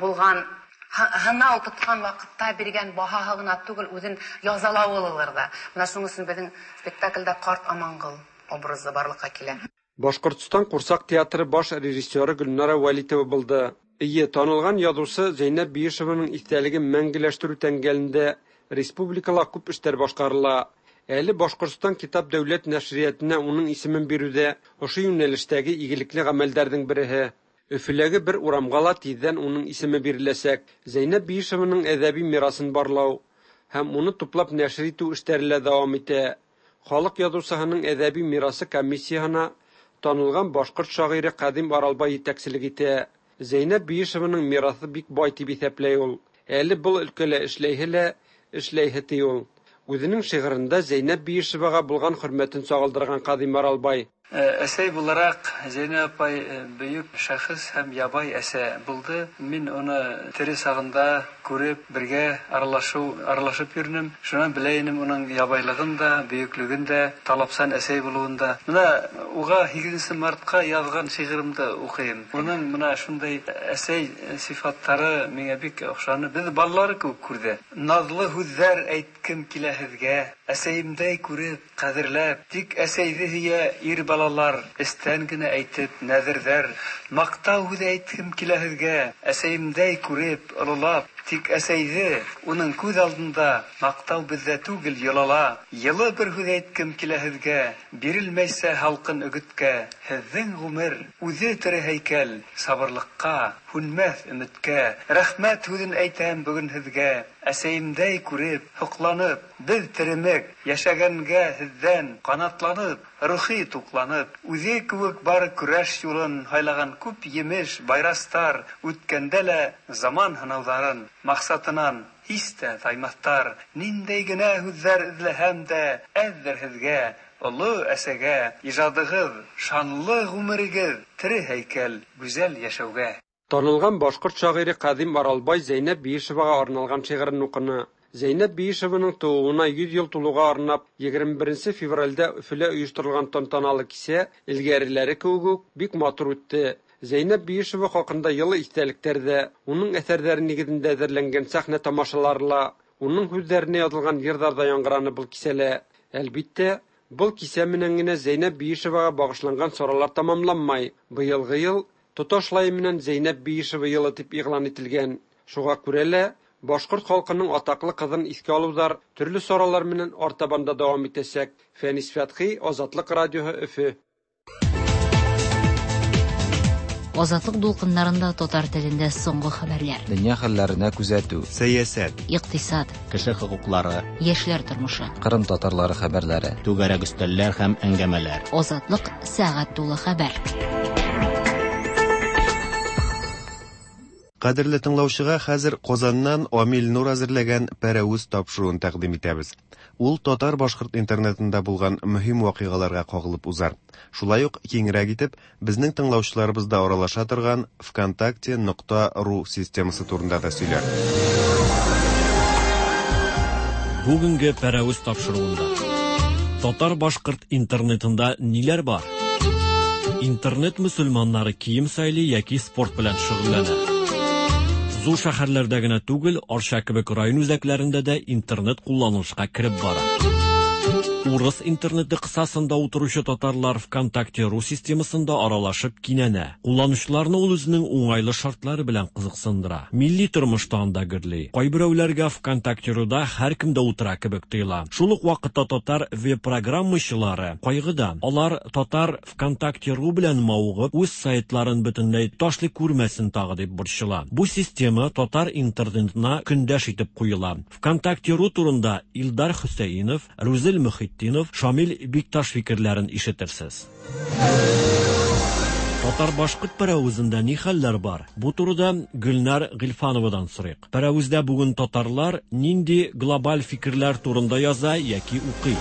булган һынау тоткан вакытта биргән баһаһы гына түгел, үзен язалавы булыр да. Менә шуның өчен безнең спектакльдә карт Амангыл образы барлыкка килә. Башкортстан курсак театры баш режиссеры Гөлнара Вәлитова булды. Ие, танылган язучы Зәйнәб Биишеваның истәлеген мәңгеләштерү тәңгәлендә республикала күп эшләр башкарыла. Әле Башкортстан китап дәүләт нәшриятына уның исемен бирүдә ошо юнәлештәге игелекле гамәлләрнең береһе. Өфөләге бер урамга ла тиздән уның исеме биреләчәк. Зәйнәб Биишеваның әдәби мирасын барлау һәм уны туплап нәшер итү эшләре лә дәвам итә. Халык язучыһының әдәби мирасы комиссияһына танылган башкорт шагыйре Кадим Аралбай җитәкчелек итә. Зәйнәб Биишеваның мирасы бик бай дип иҫәпләй ул. Әле был өлкәлә эшләйһе лә, эшләйһе ти ул. Үзенең шигырендә Зәйнәб Биишевага булган хөрмәтен чагылдырган Кадим Аралбай. Әсәй буларак Зәйнәб апай бөек шәхес һәм ябай әсә булды. Мин уны тере сагында күреп, бергә аралашу, аралашып йөрдем. Шуннан белә инем уның ябайлыгын да, бөеклеген дә, талапсан әсәй булуын да. Менә уга һигезенче мартка язган шигыремдә укыйм. Уның менә шундай әсәй сифатлары миңа бик охшаны. Без балалар күп күрде. Назлы һүзләр әйткем килә һеҙгә, әсәйемдәй күреп, ҡәҙерләп, тик әсәйҙе һөйә ир балалар, эстән генә әйтеп, нәҙерҙәр. Маҡтау һүҙе әйткем килә һеҙгә, әсәйемдәй күреп, ололап, тик әсәйҙе уның күҙ алдында маҡтау беҙҙә түгел йолала. Йылы бер һүҙ әйткем килә һеҙгә, бирелмәйсә һалҡын өгөткә. Һеҙҙең ғүмер үҙе тере һәйкәл, сабырлыҡҡа, һүнмәҫ өмөткә. Рәхмәт һүҙен әйтәм бөгөн һеҙгә, әсәйемдәй күреп, һоҡланып, беҙ теремек, йәшәгәнгә һеҙҙән ҡанатланып, рухи туҡланып, үҙе кеүек бар көрәш юлын һайлаған күп емеш, байрастар, үткәндә лә заман һынауҙарын маҡсатынан һис тә таймаҫтар. Ниндәй генә һүҙҙәр эҙләһәм дә, әҙҙер һеҙгә, оло әсәгә, ижадығыҙ, шанлы ғүмерегеҙ, тере һәйкәл, гүзәл йәшәүгә. Танылған башҡорт шағире Ҡәҙим Аралбай Зәйнәб Биишеваға арналған шиғырын уҡыны. Зәйнәб Биишеваның тыуыуына йөҙ йыл тулыуға арнап егерме беренсе февралдә Өфөлә ойошторолған тантаналы кисә элгәреләре кеүек үк бик матур үтте. Зәйнәб Биишева хаҡында йылы иҫтәлектәр ҙә, уның әҫәрҙәре нигеҙендә әҙерләнгән сәхнә тамашалары ла, уның һүҙҙәренә яҙылған йырҙар ҙа яңғыраны был кисәлә. Әлбиттә, был кисә менән генә Зәйнәб Биишеваға бағышланған саралар тамамланмай. Быйылғы йыл тоташлай менән Зәйнәб Биишева йылы тип иғлан ителгән. Шуға күрә лә башҡорт халҡының атаҡлы ҡыҙын иҫкә алыуҙар төрлө саралар менән артабан да дауам итәсәк. Фәнис Фәтхи, Азатлыҡ радиоһы, Өфө. Азатлык дулкыннарында татар телендә соңгы хәбәрләр. Дөнья хәлләренә күзәтү, сәясәт, икътисад, кеше хокуклары, яшьләр тормышы, Кырым татарлары хәбәрләре, түгәрәк өстәлләр һәм әңгәмәләр. Азатлык сәгать тулы хәбәр. Кадерле тыңлаучыга хәзер Казаннан Амил Нур әзерләгән Пәрәүз тапшыруын тәкъдим итәбез. Ул татар-башкорт интернетында булган мөһим вакыйгаларга кагылып узар. Шулай ук киңрәк итеп безнең тыңлаучыларыбызда аралаша торган ВКонтакте нокта ру системасы турында да сөйләр. Бүгенге Пәрәүз тапшыруында татар-башкорт интернетында ниләр бар? Интернет мөселманнары кием сайлый яки спорт белән шөгыльләнә. Зур шәһәрләрдә генә түгел, Арча кебек район үзәкләрендә дә интернет кулланылышка кереп бара. Урыс интернеты кысасында утыручы татарлар ВКонтакте ру системасында аралашып кинәнә. Кулланучыларны ул үзенең уңайлы шартлары белән кызыксындыра. Милли тормышта анда гөрли. Кайберәүләргә ВКонтакте руда һәркем дә утыра кебек тоела. Шул ук вакытта татар веб-программачылары кайгыда. Алар татар ВКонтакте ру белән мавыгып, үз сайтларын бөтенләй ташлый күрмәсен тагы дип борчыла. Бу система татар интернетына көндәш итеп куела. ВКонтакте ру турында Илдар Хөсәйнов, Рузил Мөхетдинов, Шамил Бикташ фикерләрен ишетерсез. Татар-башкорт пәрәвезендә ни хәлләр бар? Бу турыда Гөлнар Гыйльфановадан сорыйк. Пәрәвездә бүген татарлар нинди глобаль фикерләр турында яза яки укый?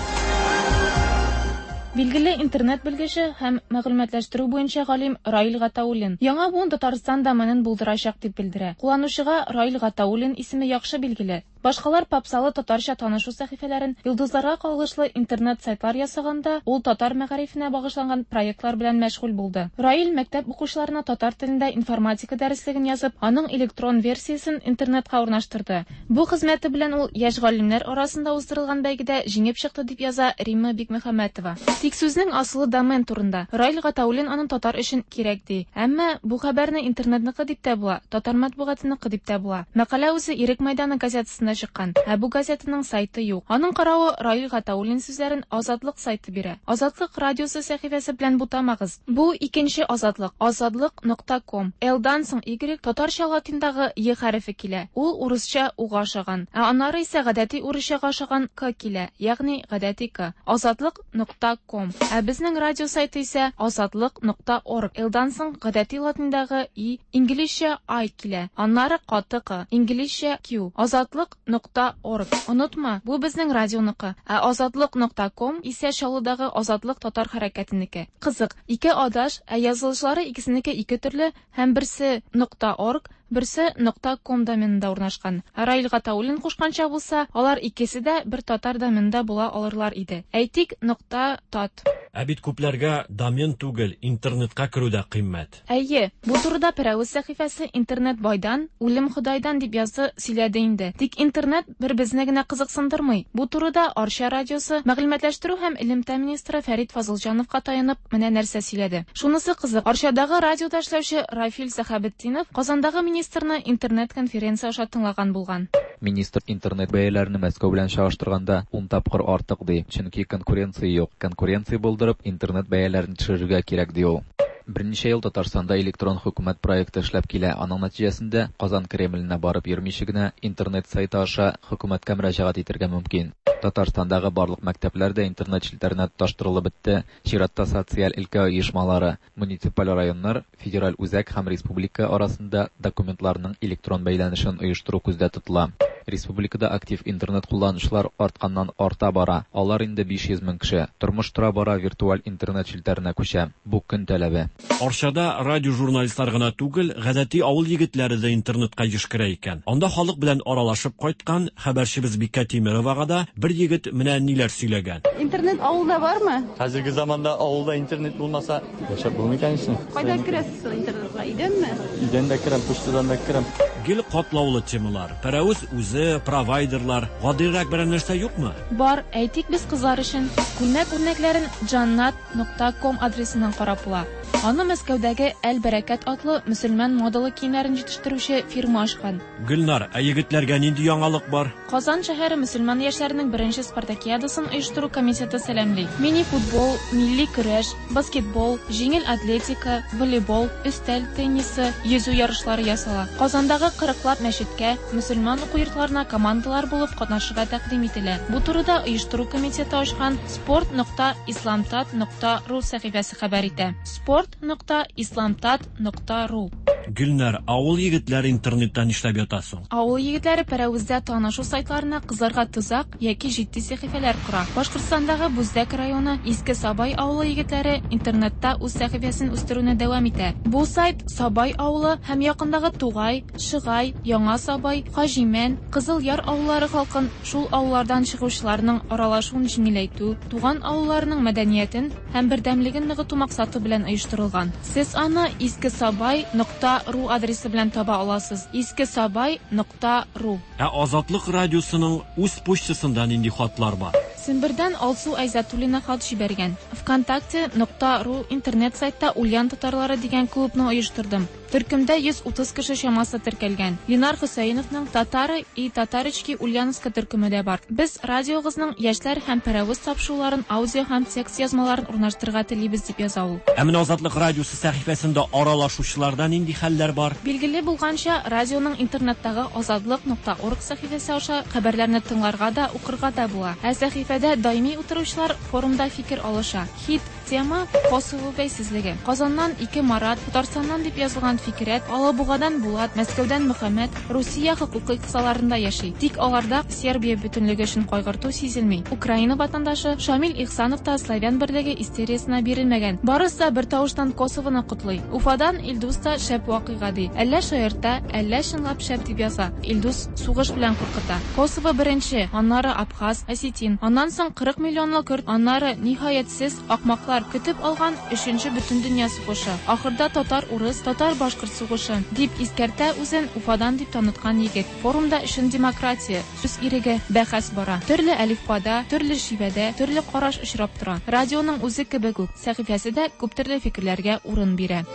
Билгеле интернет белгече һәм мәгълүматлаштыру буенча галим Раил Гатауллин яңа буын Татарстан доменын булдырачак дип белдерә. Кулланучыга Раил Гатауллин исеме яхшы билгеле. Башкалар попсалы татарча танышу сәхифәләрен, йолдызларга кагылышлы интернет сайтлар ясаганда, ул татар мәгарифенә багышланган проектлар белән мәшгуль булды. Раил мәктәп укучыларына татар телендә информатика дәреслеген язып, аның электрон версиясен интернетка урнаштырды. Бу хезмәте белән ул яшь галимнәр арасында уздырылган бәйгедә җиңеп чыкты дип яза Римма Бикмөхәммәтова. Тик сүзнең асылы домен турында. Раил Гатауллин аны татар өчен кирәк ди. Әмма бу хәбәрне интернетныкы дип тә була, татар матбугатыныкы дип тә була. Мәкалә үзе Ирек мәйданы газетасында чыккан. Ә бу газетаның сайты юк. Аның каравы Раил Гатауллин сүзләрен Азатлык сайты бирә. Азатлык радиосы сәхифәсе белән бутамагыз. Бу икенче Азатлык. Азатлык нокта ком. Л-дан соң Y татарча латиндагы Е хәрефе килә. Ул урысча уга ошаган. Ә аннары исә гадәти урысчага ошаган К килә, ягъни гадәти К. Азатлык нокта ком. Ә безнең радио сайты исә азатлык нокта орг. Л-дан соң гадәти латиндагы И, инглизчә I килә. Аннары каты К, инглизчә Q. Азатлык нокта орг. Онытма, бу безнең радионыкы. Ә азатлык нокта ком исә Чаллыдагы Азатлык татар хәрәкәтенеке. Кызык, ике адаш, ә язылышлары икесенеке ике төрле һәм берсе нокта орг, Берсе нокта ком доменында урнашкан. Раил Гатауллин кушканча булса, алар икесе дә бер татар доменында була алырлар иде. Әйтик, нокта тат. Ә бит күпләргә домен түгел, интернетка керү дә кыйммәт. Әйе, бу турыда Пәрәвез сәхифәсе интернет байдан, үлем Ходайдан дип язды, сөйләде инде. Тик интернет бер безне генә кызыксындырмый. Бу турыда Арча радиосы мәгълүматлаштыру һәм элемтә министры Фәрит Фазылҗановка таянып менә нәрсә сөйләде. Шунысы кызык, Арчадагы радиода эшләүче Рафил Сәхәбетдинов Казандагы министрны интернет-конференция аша тыңлаган булган. Министр интернет бәяләрен Мәскәү белән чагыштырганда ун тапкыр артык ди, чөнки конкуренция юк. Конкуренция булдырып, интернет бәяләрен төшерергә кирәк ди ул. Берничә ел Татарстанда электрон хөкүмәт проекты эшләп килә. Аның нәтиҗәсендә Казан Кремленә барып йөрмичә генә интернет сайты аша хөкүмәткә мөрәҗәгать итәргә мөмкин. Татарстандагы барлык мәктәпләр дә интернет челтәренә тоташтырылып бетте. Чиратта социаль өлкә оешмалары, муниципаль районнар, федераль үзәк һәм республика арасында документларның электрон бәйләнешен оештыру күздә тотыла. Республикада актив интернет кулланучылар артканнан арта бара. Алар инде биш йөз мең кеше. Тормыш тора бара виртуаль интернет челтәренә күчә. Бу көн таләбе. Арчада радио журналистлар гына түгел, гадәти авыл егетләре дә интернетка еш керә икән. Анда халык белән аралашып кайткан хәбәрчебез Бикә Тимеровага да бер егет менә ниләр сөйләгән. Интернет авылда бармы? Хәзерге заманда авылда интернет булмаса, яшәп булмый конечно. Кайда керәсез соң интернетка? Өйдәнме? Өйдән дә керәм, почтадан да керәм. Гел катлаулы темалар. Пәрәвез үзе, провайдерлар. Гадирәк берәр нәрсә юкмы? Бар, әйтик без кызлар өчен. Күлмәк үрнәкләрен джаннат нокта ком адресыннан карап була. Аны Мәскәүдәге Әл-Бәрәкәт атлы мөселман модалы киемнәрен җитештерүче фирма ачкан. Гөлнар, ә егетләргә нинди яңалык бар? Казан шәһәре мөселман яшьләренең беренче спартакиадасын оештыру комитеты сәламли. Мини-футбол, милли көрәш, баскетбол, җиңел атлетика, волейбол, өстәл теннисы, йөзү ярышлары ясала. Казандагы кырыклап мәчеткә, мөселман уку йортларына командалар булып катнашырга тәкъдим ителә. Бу турыда оештыру комитеты ачкан спорт нокта исламтат нокта ру сәхифәсе хәбәр итә. Спорт нокта исламтат нокта ру. Гөлнар, авыл егетләре интернеттан нишләп ята соң? Авыл егетләре Пәрәвездә танышу сайтларына кызларга тузак яки җитди сәхифәләр кора. Башкортстандагы Бүздәк районы Иске Сабай авылы егетләре интернетта үз сәхифәсен үстерүне дәвам итә. Бу сайт Сабай авылы һәм якындагы Тугай, Шыгай, Яңа Сабай, Хаҗимән, Кызыл Яр авыллары халкын шул авыллардан чыгучыларның аралашуын җиңеләйтү, туган авылларының мәдәниятен һәм бердәмлеген ныгыту максаты белән оештырылган. Сез аны искесабай нокта ру адресы белән таба аласыз. искесабай нокта ру. Ә Азатлык радиосының үз почтасында нинди хатлар бар? Сембердән Алсу Айзатуллина хат җибәргән. ВКонтакте нокта ру интернет сайтта Ульян татарлары дигән клубны оештырдым. Төркемдә йөз утыз кеше чамасы теркәлгән. Ленар Хөсәеновның Татары и Татарочки Ульяновска төркеме дә бар. Без радиогызның яшьләр һәм Пәрәвез тапшыруларын аудио һәм текст язмаларын урнаштырырга телибез дип яза ул. Ә менә Азатлык радиосы сәхифәсендә аралашучыларда нинди хәлләр бар? Билгеле булганча, радионың интернеттагы азатлык нокта орг сәхифәсе аша хәбәрләрне тыңларга да, укырга да була. Ә сәхифәдә даими утыручылар форумда фикер алыша. Хит тема Косово бәйсезлеге. Казаннан ике Марат, Татарстаннан дип язылган Фикрәт, Алабугадан Булат, Мәскәүдән Мөхәммәд Русия хокукый кысаларында яши. Тик аларда Сербия бөтенлеге өчен кайгырту сизелми. Украина ватандашы Шамил Ихсанов та славян берлеге истериясына бирелмәгән. Барысы да бер тавыштан Косовоны котлый. Уфадан Илдус та шәп вакыйга ди. Әллә шаярта, әллә чынлап шәп дип яза. Илдус сугыш белән куркыта. Косово беренче, аннары Абхаз, Осетин, аннан соң кырык миллионлы көрд, аннары ниһаятсез акмаклар көтеп алган өченче бөтендөнья сугышы. Ахырда татар-урыс, татар-башкорт сугышы дип искәртә үзен Уфадан дип таныткан егет. Форумда өчен демократия, сүз иреге, бәхәс бара. Төрле әлифбада, төрле шивәдә, төрле караш очрап тора. Радионың үзе кебек үк, сәхифәсе дә күп төрле фикерләргә урын бирә.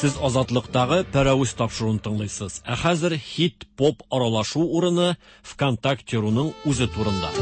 Сез Азатлыктагы Пәрәвез тапшыруын тыңлыйсыз. Ә хәзер хит-поп аралашу урыны ВКонтакте.руның үзе турында.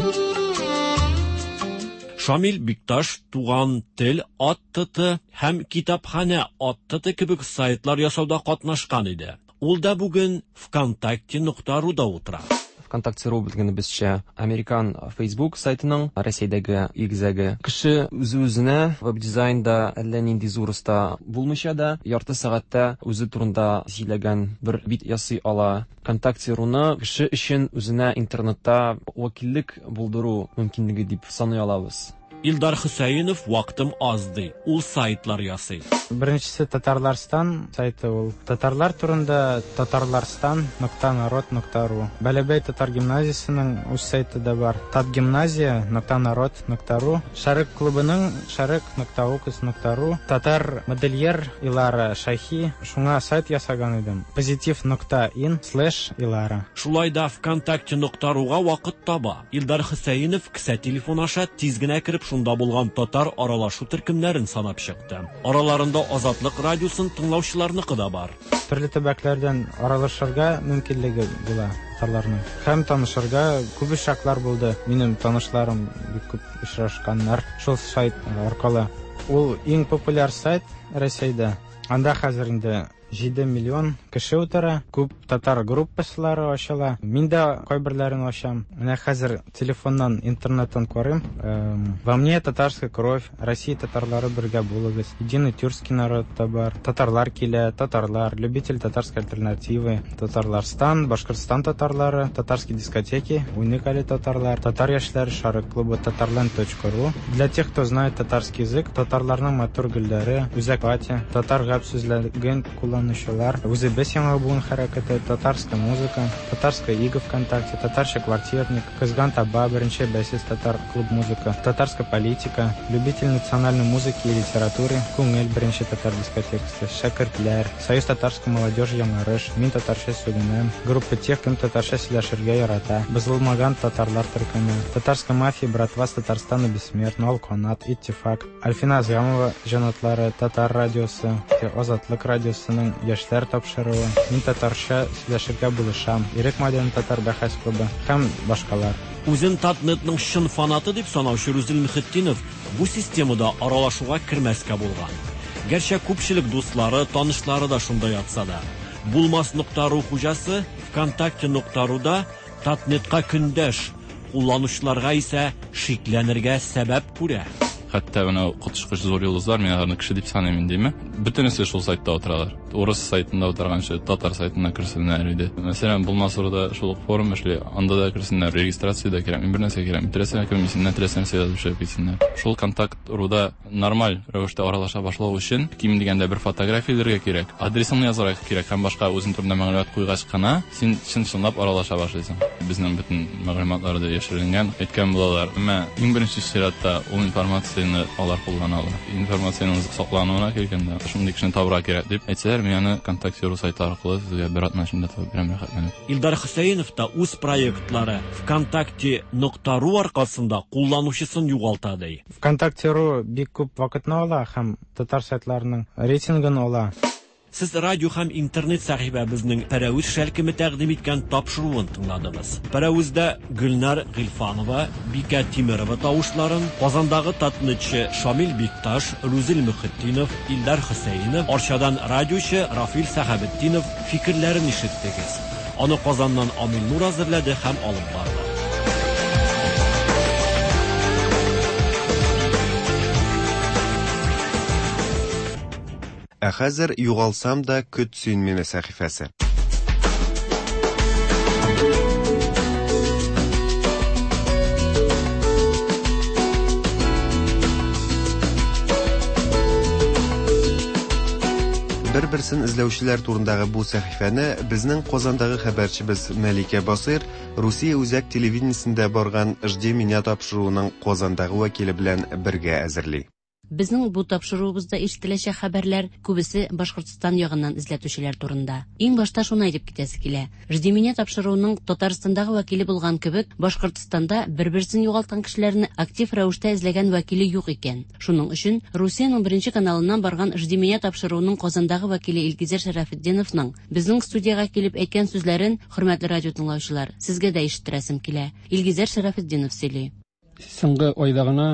Шамил Бикташ Туган тел ат-т һәм Китапханә ат-т кебек сайтлар ясауда катнашкан иде. Ул да бүген ВКонтакте нокта руда утыра. ВКонтакте.ру белгәнебезчә, американ Facebook сайтының Россиядәге игезәге. Кеше үзе-үзенә веб-дизайнда әллә нинди зур оста булмыйча да, ярты сәгатьтә үзе турында сөйләгән бер бит ясый ала. ВКонтакте.руны кеше өчен үзенә интернетта вәкиллек булдыру мөмкинлеге дип саный алабыз. Илдар Хөсәенов вакытым аз ди. Ул сайтлар ясый. Беренчесе Татарларстан сайты ул. Татарлар турында татарларстан нокта народ нокта ру. Бәләбәй татар гимназиясенең үз сайты да бар. Татгимназия нокта народ нокта ру. Шәрык клубының шәрык нокта укс нокта ру. Татар модельер Илара Шахи шуңа сайт ясаган идем. Позитив нокта ин слэш Илара. Шулай да ВКонтакте нокта руга вакыт таба. Илдар Хөсәенов кесә телефон аша тиз генә кереп шунда булган татар аралашу төркемнәрен санап чыкты. Араларында Азатлык радиосын тыңлаучыларныкы да бар. Төрле төбәкләрдән аралашырга мөмкинлеге була татарларның. Һәм танышырга күп очраклар булды. Минем танышларым бик күп очрашканнар шул сайт аркылы. Ул иң популяр сайт Россиядә. Анда хәзер инде җиде миллион кеше утыра, күп татар группалары ачыла. Мин дә кайберләрен ачам. Менә хәзер телефоннан, интернеттан карыйм. Во мне татарская кровь, Россия татарлары бергә булыгыз, единый тюркский народ та бар, татарлар килә, татарлар, любитель татарской альтернативы, Татарларстан, Башкортстан татарлары, татарские дискотеки, уникали татарлар, татар яшьләре шарык клубы, татарланд точка ру. Для тех, кто знает татарский язык, татарларның матур гөлләре, үзәк пати, татар гәп сүзлеген кулланучылар, үзебез яңа буын хәрәкәте, татарская музыка, татарская ига ВКонтакте, татарча квартирник, Кызган таба, беренче бәйсез татар клуб музыка, татарская политика, любитель национальной музыки и литературы, Күңел беренче татар дискотекасы, Шәкертләр, Союз татарской молодежи Яңарыш, Мин татарча сөйләнәм, группа тех, кем татарча сөйләшергә ярата, Бозылмаган татарлар төркеме, татарская мафия, братва с Татарстана бессмертна, Алканат, Иттифак, Альфина Азгамова җанатлары, Татар радиосы, Азатлык радиосының яшьләр тапшыруы, Мин татарча сөйләшергә булышам, Ирек Мадин татар бәхәс клубы һәм башкалар. Үзен Татнетның чын фанаты дип санаучы Рүзил Мөхетдинов бу системада аралашуга кермәскә булган. Гәрчә күпчелек дуслары, танышлары да шунда ятса да. Булмас нокта ру хуҗасы ВКонтакте нокта руда Татнетка көндәш, кулланучыларга исә шикләнергә сәбәп күрә. Хәтта менә коточкыч зур йолдызлар, мин аларны кеше дип саныйм инде, бөтенесе шул сайтта утыралар. Урыс сайтында утырганчы татар сайтына керсеннәр иде. Мәсәлән, Булмас руда шул ук форум эшли, анда да керсеннәр, регистрация дә кирәк, бер нәрсә кирәк, теләсә кем исеменнән теләсә нәрсә язып чыгып китсеннәр. Шул контакт руда нормаль рәвештә аралаша башлау өчен ким дигәндә бер фотография элергә кирәк, адресыңны язарга кирәк һәм башка үзең турында мәгълүмат куйгач кына син чын-чынлап аралаша башлыйсың. Безнең бөтен мәгълүматлар да яшеренгән, әйткән булалар. Әмма иң беренче чиратта ул информация алар куллана ала. Информациянең саклануына килгәндә, шундый кешене табырга кирәк дип әйтсәләр, мин аны ВКонтакте ру сайты аркылы сезгә бер атна эчендә табып бирәм, рәхәтләнеп. Илдар Хөсәенов та үз проектлары ВКонтакте нокта ру аркасында кулланучысын югалта ди. ВКонтакте ру бик күп вакытны ала һәм татар сайтларының рейтингын ала. Сез радио һәм интернет сәхифәбезнең Пәрәвез шәлкеме тәкъдим иткән тапшыруын тыңладыгыз. Пәрәвездә Гөлнар Гыйльфанова, Бикә Тимерова тавышларын, Казандагы татнетчы Шамил Бикташ, Рүзил Мөхетдинов, Илдар Хөсәенов, Арчадан радиочы Рафил Сәхәбетдинов фикерләрен ишеттегез. Аны Казаннан Амил Нур әзерләде һәм алып барды. Ә хәзер югалсам да көт син мине сәхифәсе. Бер-берсен эзләүчеләр турындагы бу сәхифәне безнең Казандагы хәбәрчебез Мәликә Басыйр Русия үзәк телевидениесендә барган Жди меня тапшыруының Казандагы вәкиле белән бергә әзерли. Безнең бу тапшыруыбызда ишетеләчәк хәбәрләр күбесе Башкортстан ягыннан эзләтүчеләр турында. Иң башта шуны әйтеп китәсе килә. Жди меня тапшыруының Татарстандагы вәкиле булган кебек, Башкортстанда бер-берсен югалткан кешеләрне актив рәвештә эзләгән вәкиле юк икән. Шуның өчен Русиянең беренче каналыннан барган Жди меня тапшыруының Казандагы вәкиле Илгизәр Шәрәфетдиновның безнең студиягә килеп әйткән сүзләрен, хөрмәтле радио тыңлаучылар, сезгә дә ишеттерәсем килә. Илгизәр Шәрәфетдинов сөйли. Соңгы айда гына,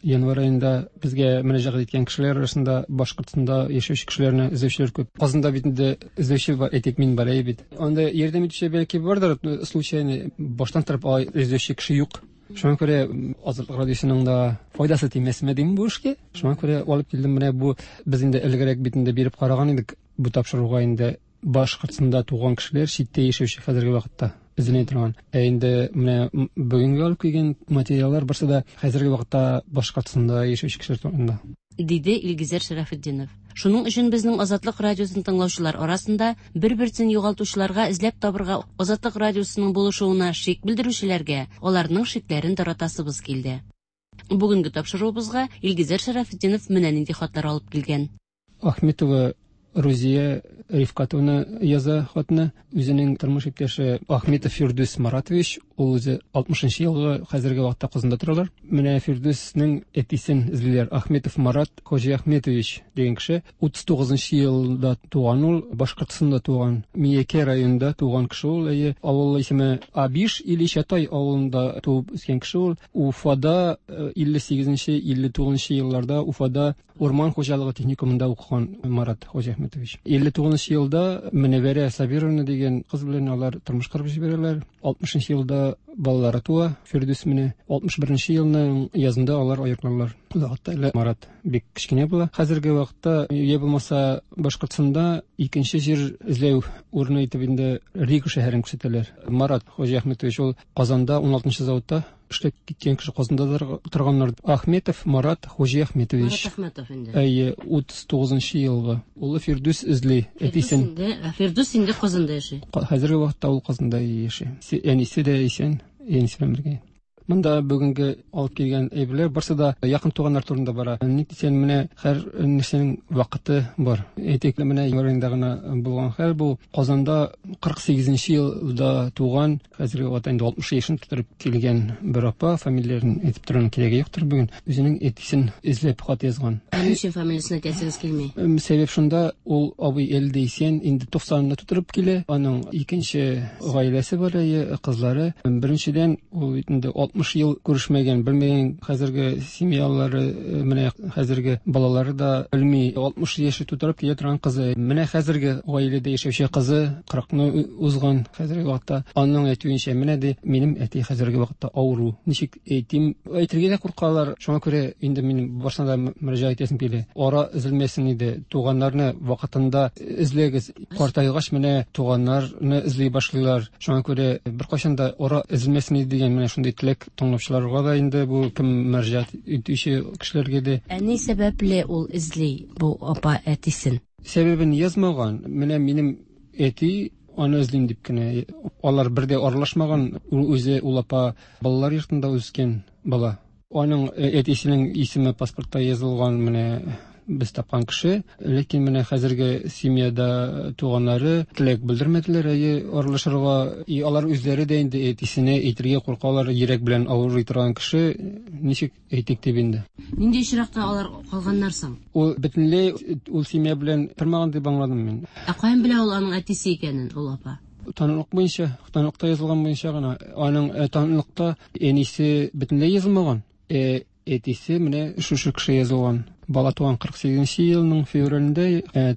январь айында безгә мөрәҗәгать иткән кешеләр арасында Башкортстанда яшәүче кешеләрне эзләүчеләр күп. Казанда бит инде эзләүче бар, әйтик, мин бар бит. Анда ярдәм итүче бәлки бардыр, случайно баштан торып алай эзләүче кеше юк. Шуңа күрә Азатлык радиосының да файдасы тимәсме дим бу эшкә. Шуңа күрә алып килдем менә бу, без инде элгәрәк бит инде биреп караган идек бу тапшыруга инде Башкортстанда туган кешеләр читтә яшәүче хәзерге вакытта. эзләнә торган. Ә инде менә бүгенге алып килгән материаллар барсы да хәзерге вакытта Башкортстанда яшәүче кешеләр турында. Диде Илгизәр Шәрәфетдинов. Шуның өчен безнең Азатлык радиосын тыңлаучылар арасында бер-берсен югалтучыларга эзләп табырга Азатлык радиосының булышуына шик белдерүчеләргә аларның шикләрен таратасыбыз килде. Бүгенге тапшыруыбызга Илгизәр Шәрәфетдинов менә нинди хатлар алып килгән. Ахметова Рузия Рифкатовна яза хатны. Үзенең тормыш иптәше Ахметов Фирдүс Маратович, ул үзе алтмышынчы елгы, хәзерге вакытта Казанда торалар. Менә Фирдүснең әтисен эзлиләр. Ахметов Марат Хоҗи Ахметович дигән кеше утыз тугызынчы елда туган ул, Башкортстанда туган, Миякә районында туган кеше ул. Әйе, авыл исеме Абиш или Чатай авылында туып үскән кеше ул. Уфада илле сигезенче, илле тугызынчы елларда Уфада урман хуҗалыгы техникумында укыган Марат Хоҗи Ахметович. илле тугызынчы елда Мөнәвәрә Сабировна дигән кыз белән алар тормыш корып җибәрәләр. алтмышынчы елда балалары туа, Фирдүс менә. алтмыш беренче елның язында алар аерылалар. Ул вакытта әле Марат бик кечкенә була. Хәзерге вакытта, я булмаса Башкортстанда икенче җир эзләү урыны итеп инде Рига шәһәрен күрсәтәләр. Марат Хоҗи Ахметович ул Казанда ун алтынчы заводта эшләп киткән кеше, Казанда торганнар. Ахметов Марат Хоҗи Ахметович. Марат Ахметов инде. Әйе, утыз тугызынчы елгы. Улы Фирдүс эзли әтисен. Фирдүс инде Казанда яши. Хәзерге вакытта ул Казанда яши. Әнисе дә исән, әнисе белән бергә. Монда бүгенге алып килгән әйберләр барсы да якын туганнар турында бара. Ник дисәң, менә һәр нәрсәнең вакыты бар. Әйтик, менә январь аенда гына булган хәл бу. Казанда кырык сигезенче елда туган, хәзерге вакытта инде алтмыш яшен тутырып килгән бер апа, фамилияләрен әйтеп торырның кирәге юктыр бүген, үзенең әтисен эзләп хат язган. Ә ни өчен фамилиясен әйтәсегез килми? Сәбәп шунда, ул абый әле дә исән, инде туксанны тутырып килә. Аның икенче гаиләсе бар, әйе, кызлары. Беренчедән, ул инде алтмыш ел күрешмәгән, белмәгән хәзерге семьялары, менә хәзерге балалары да белми. алтмыш яше тутырып килә торган кызы, менә хәзерге гаиләдә яшәүче кызы кырыкны узган хәзерге вакытта. Аның әйтүенчә, менә ди, минем әти хәзерге вакытта авыру. Ничек әйтим, әйтергә дә куркалар. Шуңа күрә инде мин барсына да мөрәҗәгать итәсем килә. Ара өзелмәсен иде, туганнарны вакытында эзләгез. Картайгач менә туганнарны эзли башлыйлар. Шуңа күрә беркайчан да ара өзелмәсен иде дигән менә шундый теләк тыңлаучыларга да инде, бу кем мөрәҗәгать итүче кешеләргә дә. Ә ни сәбәпле ул эзли бу апа әтисен? Сәбәбен язмаган. Менә минем әти аны эзлим дип кенә. Алар бер дә аралашмаган. Ул үзе, ул апа балалар йортында үскән бала. Аның әтисенең исеме паспортта язылган, менә без тапкан кеше. Ләкин менә хәзерге семьяда туганнары теләк белдермәделәр, әйе, аралашырга. И алар үзләре дә инде әтисенә әйтергә куркалар, йөрәк белән авырый торган кеше, ничек әйтик дип инде. Нинди очракта алар калганнар соң? Ул бөтенләй ул семья белән тормаган дип аңладым мин. Ә каян белә ул аның әтисе икәнен, ул апа? Таныклык буенча, таныклыкта язылган буенча гына. Аның таныклыкта әнисе бөтенләй язылмаган. Ә әтисе менә шушы кеше язылган. Бала туган кырык сигезенче елның февралендә,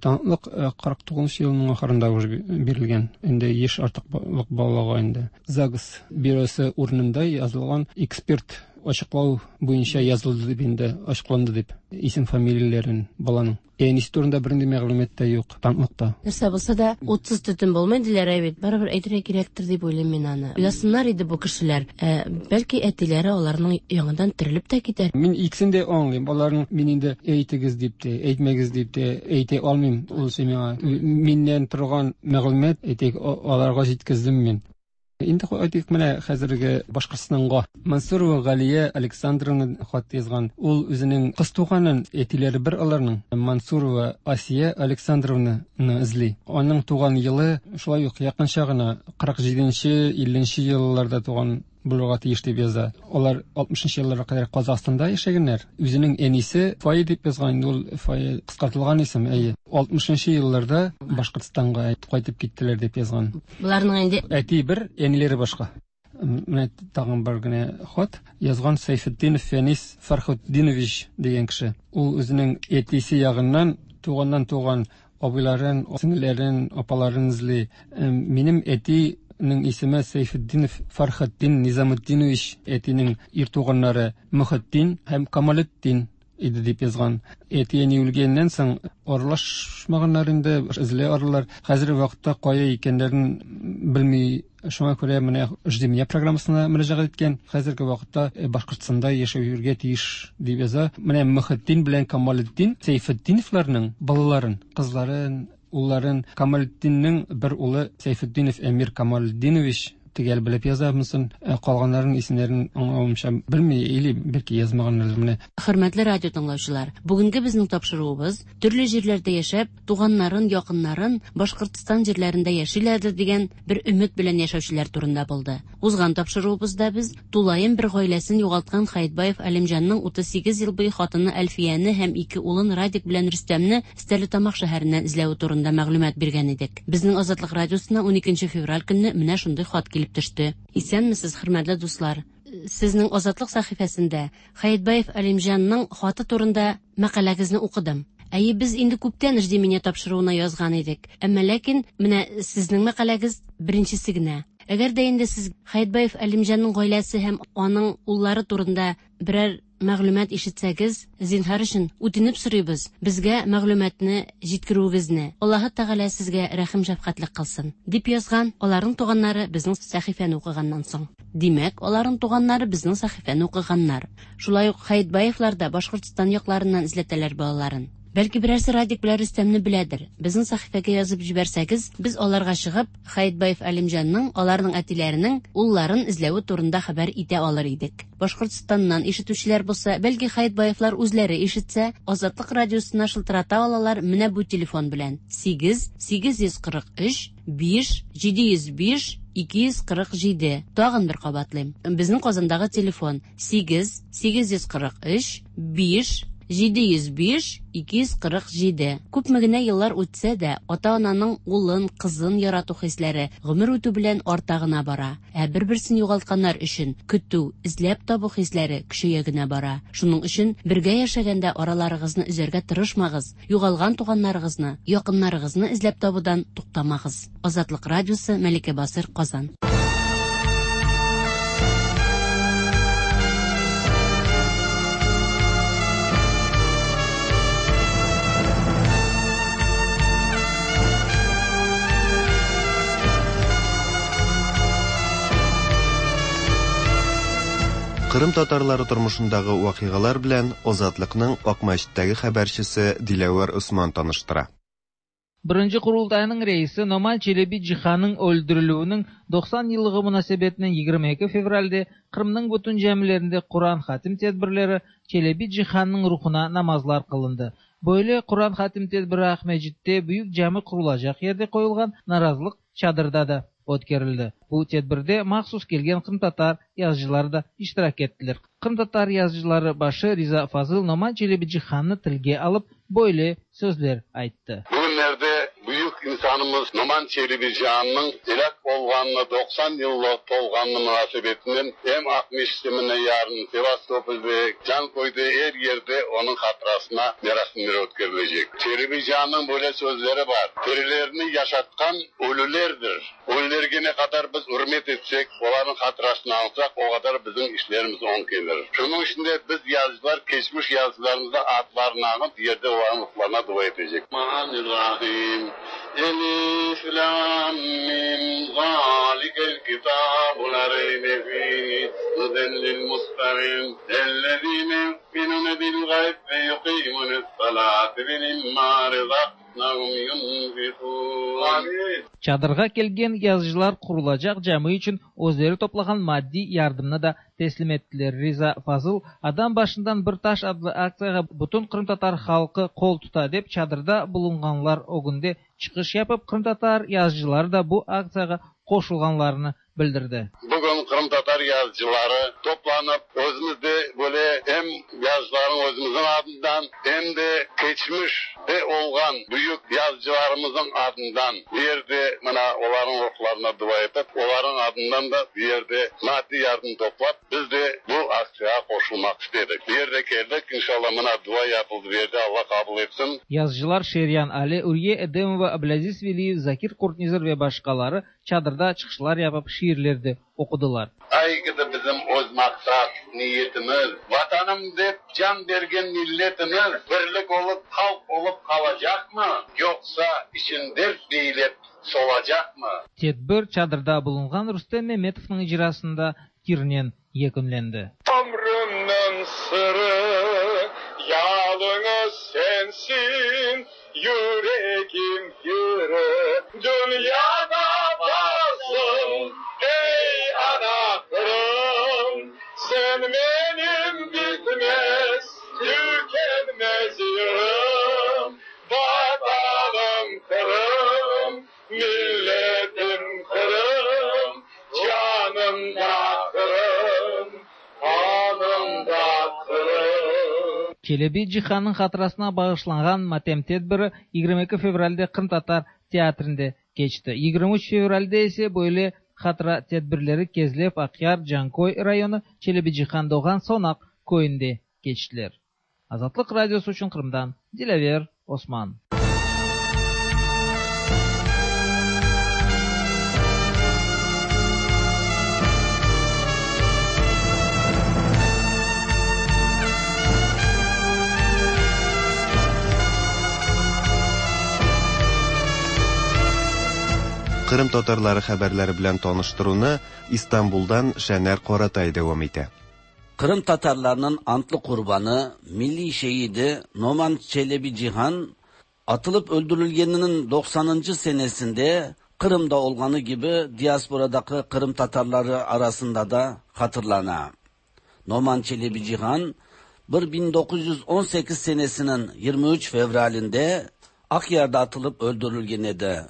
таныклык кырык тугызынчы елның ахырында уже бирелгән. Инде яшь артыклык балага инде. ЗАГС бюросы урынында язылган эксперт ачыклау буенча язылды дип инде, ачыкланды дип исем фамилияләрен баланың. Әнисе турында бернинди мәгълүмат та юк таныклыкта. Нәрсә булса да, утсыз төтен булмый диләр бит. Барыбер әйтергә кирәктер дип уйлыйм мин аны. Уйласыннар иде бу кешеләр. Ә, бәлки әтиләре аларның яңадан терелеп тә китәр. Мин икесен дә аңлыйм. Аларның мин инде әйтегез дип тә, әйтмәгез дип тә әйтә алмыйм. Ул миңа миннән торган мәгълүмат әйтик, аларга җиткездем мин. Инде әйтик, менә хәзерге Башкортстанга Мансурова Галия Александровна хат язган. Ул үзенең кыз туганын, әтиләре бер аларның, Мансурова Асия Александровнаны эзли. Аның туган елы шулай ук якынча гына кырык җиденче, илленче елларда туган булырга тиеш дип яза. Алар алтмышынчы елларга кадәр Казахстанда яшәгәннәр. Үзенең әнисе Фая дип язган, инде ул Фая кыскартылган исем, әйе. Алтмышынчы елларда Башкортстанга кайтып киттеләр дип язган. Буларның инде әти бер, әниләре башка. Менә тагын бер генә хат язган Сайфетдинов Фәнис Фархутдинович дигән кеше. Ул үзенең әтисе ягыннан туганнан туган абыйларын, сеңелләрен, апаларын эзли. Минем әти ның исеме Сайфетдинов Фархатдин Низамутдинович, әтинең ир туганнары Мөхетдин һәм Камалетдин. иде дип язган. Әти-әни үлгәннән соң аралашмаганнар инде, эзли аралар. Хәзерге вакытта кая икәннәрен белми. Шуңа күрә менә «Жди меня» программасына мөрәҗәгать иткән. Хәзерге вакытта Башкортстанда яшәүгә тиеш дип яза. Менә Мөхетдин белән Камалетдин Сәйфетдиновларның балаларын, кызларын, улларын, Камалетдиннең бер улы Сәйфетдинов Әмир Камалетдинович төгәл белеп яза монысын, калганнарының исемнәрен аңлавымча белми или бәлки язмаганнардыр менә. Хөрмәтле радио тыңлаучылар, бүгенге безнең тапшыруыбыз төрле җирләрдә яшәп, туганнарын, якыннарын Башкортстан җирләрендә яшиләрдер дигән бер өмет белән яшәүчеләр турында булды. Узган тапшыруыбызда без тулаем бер гаиләсен югалткан Хәетбаев Әлимҗанның утыз сигез ел буе хатыны Әлфияне һәм ике улын Радик белән Рөстәмне Стәрлетамак шәһәреннән эзләве турында мәгълүмат биргән идек. Безнең Азатлык радиосына уникенче февраль көнне менә шундый хат килеп төште. Исәнмесез, хөрмәтле дуслар. Сезнең Азатлык сәхифәсендә Хәетбаев Әлимҗанның хаты турында мәкаләгезне укыдым. Әйе, без инде күптән «Жди меня» тапшыруына язган идек. Әмма ләкин менә сезнең мәкаләгез беренчесе генә. Әгәр дә инде сез Хәетбаев Әлимҗанның гаиләсе һәм аның уллары турында берәр мәгълүмат ишетсәгез, зинһар өчен үтенеп сорыйбыз, безгә мәгълүматны җиткерүегезне. Аллаһы Тәгалә сезгә рәхим шәфкатьлек кылсын, дип язган аларның туганнары безнең сәхифәне укыганнан соң. Димәк, аларның туганнары безнең сәхифәне укыганнар. Шулай ук Хәетбаевлар да Башкортстан якларыннан эзләтәләр балаларын. Бәлки берәрсе Радик белән Рөстәмне беләдер. Безнең сәхифәгә язып җибәрсәгез, без аларга чыгып, Хәетбаев Әлимҗанның, аларның әтиләренең улларын эзләве турында хәбәр итә алыр идек. Башкортстаннан ишетүчеләр булса, бәлки Хәетбаевлар үзләре ишетсә, Азатлык радиосына шылтырата алалар менә бу телефон белән: сигез сигез йөз кырык өч биш җиде йөз биш ике йөз кырык җиде. Тагын бер кабатлыйм. Безнең Казандагы телефон сигез сигез йөз кырык өч биш җиде йөз биш ике йөз кырык җиде. Күпме генә еллар үтсә дә, ата-ананың улын, кызын ярату хисләре гомер үтү белән арта гына бара. Ә бер-берсен югалтканнар өчен көтү, эзләп табу хисләре көчәя генә бара. Шуның өчен бергә яшәгәндә араларыгызны өзәргә тырышмагыз. Югалган туганнарыгызны, якыннарыгызны эзләп табудан туктамагыз. Азатлык радиосы, Мәликә Басыр, Казан. Кырым татарлары тормышындагы вакыйгалар белән Азатлыкның Акмәчеттәге хәбәрчесе Диләвәр Усман таныштыра. Birinci Kurultayının reisi Noman Çelebi Cihan'ın öldürülüğünün doksan yıllığı münasebetinin yigirmi ikki fevralde Kırım'ın bütün camilerinde Kur'an hatim tedbirleri Çelebi Cihan'ın ruhuna namazlar kılındı. Böyle Kur'an hatim tedbiri Akmecit'te büyük cami kurulacak yerde koyulgan narazılık çadırda da ötkerildi. Bu tedbirde mahsus kelgen Kırım Tatar yazıcıları da iştirak ettiler. Kırım Tatar yazıcıları başı Riza Fazıl Noman Çelebi Cihan'ı tilge alıp böyle sözler ayttı. Bugünlerde büyük insanımız Noman Çelebi Cihan'ın helak olganını doksan yıllık tolganını münasebetinin hem Akmeşit'ine yarın Sevastopol'de can koyduğu her yerde onun hatırasına merasimleri ötkerilecek. Çelebi Cihan'ın böyle sözleri var. Terilerini yaşatkan ölülerdir. Ölülerge ne kadar biz hürmet etsek, onların hatırasını alsak o kadar bizim işlerimiz on gelir. Şunun içinde biz yazıcılar, geçmiş yazıcılarımızda adlarını alıp yerde onların ruhlarına dua edecek. Rahim. Elif, Lam, Mim, Zalikel kitabu la reybe fihi, huden lil muttaqin, ellezine yu'minune bil gayb ve yuqimune s-salate ve mimma razaqnahum yunfiqun. Çadırğa kelgen yazıcılar kurulacak cami için özleri toplagan maddi yardımını da teslim ettiler. Riza Fazıl adam başından bir taş adlı aktsiyaga bütün Kırım Tatar halkı kol tuta dep çadırda bulunganlar ögünde çıkış yapıp Kırım Tatar yazıcıları da bu aktsiyaga qoşulganlarını bildirdi. Bugün Kırım Tatar yazıcıları toplanıp özümüzde böyle hem yazıcıların özümüzün adından hem de geçmiş de olgan büyük yazıcılarımızın adından bir yerde mına onların ruhlarına dua edip onların adından da bir yerde maddi yardım toplap biz de bu aksiyaya qoşulmak istedik. Bir yerde geldik inşallah mına dua yapıldı bir yerde Allah kabul etsin. Yazıcılar Şeryan Ali, Ürye Edemova, Ablaziz Veliyev, Zakir Kurtnizar ve başkaları çadırda çıqışlar yapıp, şiirler de oqudılar. Aygıdı bizim öz maqsat, niyetimiz, vatanım dep can bergen milletimiz birlik olup, halk olup qalacaq mı, yoqsa için dert beylep solacaq mı? Tedbir çadırda bulunğan Rustem Memetovnıñ icrasında yırnen yekünlendi. Ömrümniñ sırrı yalıñız sensin, yüregim yırı dünyada varsın, ey ana Qırım, sen benim bitmez, tükenmez yırım, vatanım Qırım, milletim Qırım, canım da Qırım, anım da Qırım. Çelebi Cihannıñ hatırasına bağışlanğan matem tedbiri yigirmi eki fevralde Qırımtatar teatrinde keçti. Yigirmi üç fevralde ise böyle hatıra tedbirleri Kezlev, Aqyar, Canköy rayonı Çelebi Cihan doğğan Sonaq köyünde keçtiler. Azatlıq Radiosı içün Qırımdan Dilâver Osman. Qırım tatarları haberleri bilen tanıştıruvnı İstanbuldan Şener Qaratay devam ete. Qırım tatarlarınıñ antlı qurbanı, milliy şehidi Noman Çelebi Cihan atılıp öldürülgeniniñ doqsanıncı senesinde Qırımda olğanı kibi diasporadaki Qırım tatarları arasında da hatırlana. Noman Çelebi Cihan bin doquz yüz on sekiz senesiniñ yigirmi üç fevralinde Aqyarda atılıp öldürülgen edi.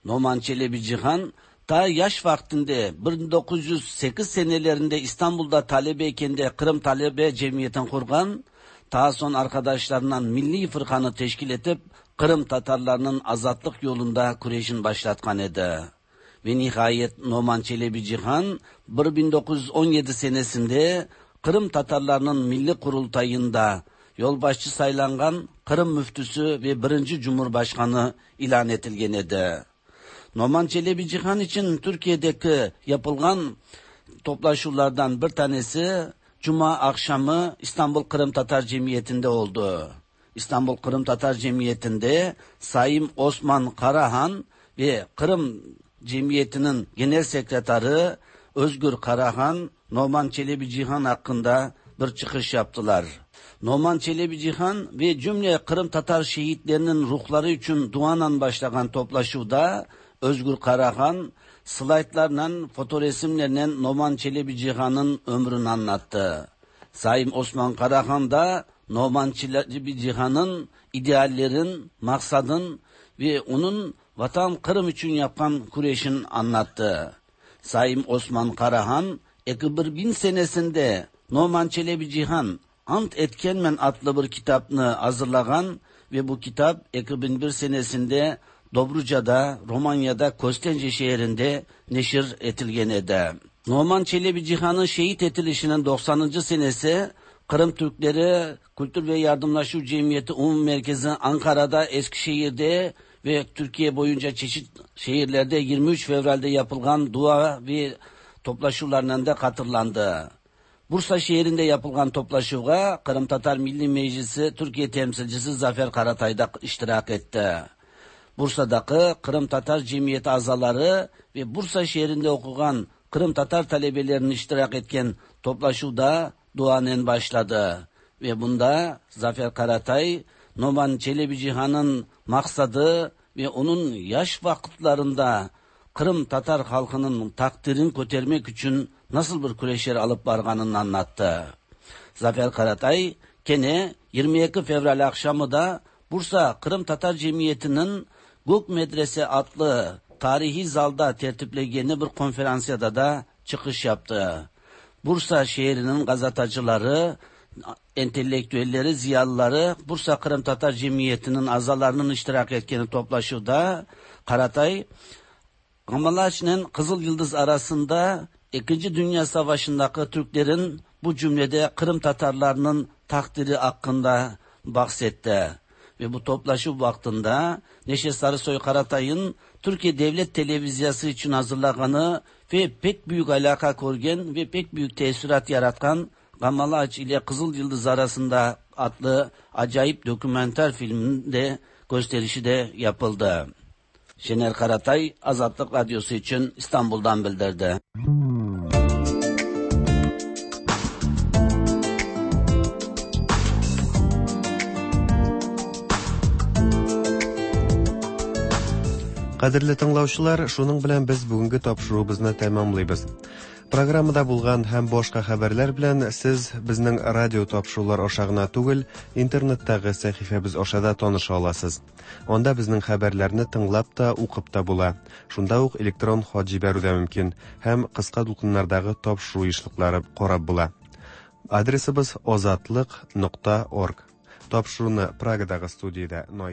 Noman Çelebi Cihan ta yaş vaqtında bin doquz yüz sekiz senelerinde İstanbulda talebe ekende Qırım Talebe Cemiyetini qurğan, ta soñ arqadaşlarından Milliy Fırqanı teşkil etip Qırım tatarlarınıñ azatlıq yolunda küreşin başlatqan edi. Ve nihayet Noman Çelebi Cihan bin doquz yüz on yedi senesinde Qırım tatarlarınıñ Milliy Qurultayında yolbaşçı saylanğan Qırım müftüsü ve birinci Cumhurbaşqanı ilân etilgen edi. Noman Çelebi Cihan içün Türkiye'deki yapılğan toplaşuvlardan bir tanesi Cuma akşamı İstanbul Qırım Tatar Cemiyeti'nde oldu. İstanbul Qırım Tatar Cemiyeti'nde Sayın Osman Karahan ve Qırım Cemiyeti'nin Genel Sekreteri Özgür Karahan Noman Çelebi Cihan hakkında bir çıkış yaptılar. Noman Çelebi Cihan ve cümle Qırım Tatar şehitlerinin ruhları için duanan başlagan toplaşuvda Özgür Karahan slaytlarla, fotoresimlerle Noman Çelebi Cihan'ın ömrünü anlattı. Sayın Osman Karahan da Noman Çelebi Cihan'ın ideallerin, maksadın ve onun vatan Kırım için yapan küreşin anlattı. Sayın Osman Karahan, iki bin senesinde Noman Çelebi Cihan Ant Etkenmen adlı bir kitabını hazırlagan ve bu kitap iki bin bir senesinde Dobruca'da, Romanya'da, Kostence şehrinde neşir etilgen edi. Noman Çelebi Cihan'ın şehit etilişinin doqsanıncı senesi Qırım Türkleri Kültür ve Yardımlaşuv Cemiyeti Umum Merkezi Ankara'da, Eskişehir'de ve Türkiye boyunca çeşit şehirlerde yirmi üç Fevral'de yapılgan dua ve toplaşuvlarla da hatırlandı. Bursa şehrinde yapılgan toplaşuvğa Qırım Tatar Milli Meclisi Türkiye temsilcisi Zafer Karatay da iştirak etti. Bursa'daki Qırım Tatar Cemiyeti azaları ve Bursa şehrinde okugan Qırım Tatar talebelerinin iştirak etken toplaşuvda duanen başladı. Ve bunda Zafer Karatay, Noman Çelebi Cihan'ın maksadı ve onun yaş vakitlerinde Qırım Tatar halkının takdirini kötermek için nasıl bir küreşler alıp barganını anlattı. Zafer Karatay, kene yirmi iki Fevral akşamı da Bursa Qırım Tatar Cemiyeti'nin Gök Medrese adlı tarihi zalda tertiplegeni bir konferansiyada da çıkış yaptı. Bursa şehrinin gazetacıları, entelektüelleri, ziyalıları Bursa Qırım Tatar Cemiyeti'nin azalarının iştirak etkeni toplaşuvda Karatay, Gamalaç'ın Kızıl Yıldız arasında İkinci Dünya Savaşı'ndaki Türklerin bu cümlede Kırım Tatarlarının takdiri hakkında bahsetti. Ve bu toplaşu vaktinde Neşe Sarısoy Karatay'ın Türkiye Devlet Televizyası için hazırlaganı ve pek büyük alaka korgen ve pek büyük tesirат yaratkan Gamalaç ile Kızıl Yıldız arasında adlı acayip dokümenter filmin de gösterişi de yapıldı. Şener Karatay, Azatlık Radyosu için İstanbul'dan bildirdi. Кадерле тыңлаучылар, шуның белән без бүгенге тапшыруыбызны тәмамлыйбыз. Программада булган һәм башка хәбәрләр белән сез безнең радио тапшырулар аша гына түгел, интернеттагы сәхифәбез аша да таныша аласыз. Анда безнең хәбәрләрне тыңлап та, укып та була. Шунда ук электрон хат җибәрү дә мөмкин һәм кыска дулкыннардагы тапшыру ешлыклары карап була. Адресыбыз озатлык нокта орг. Тапшыруны Прагадагы студиядә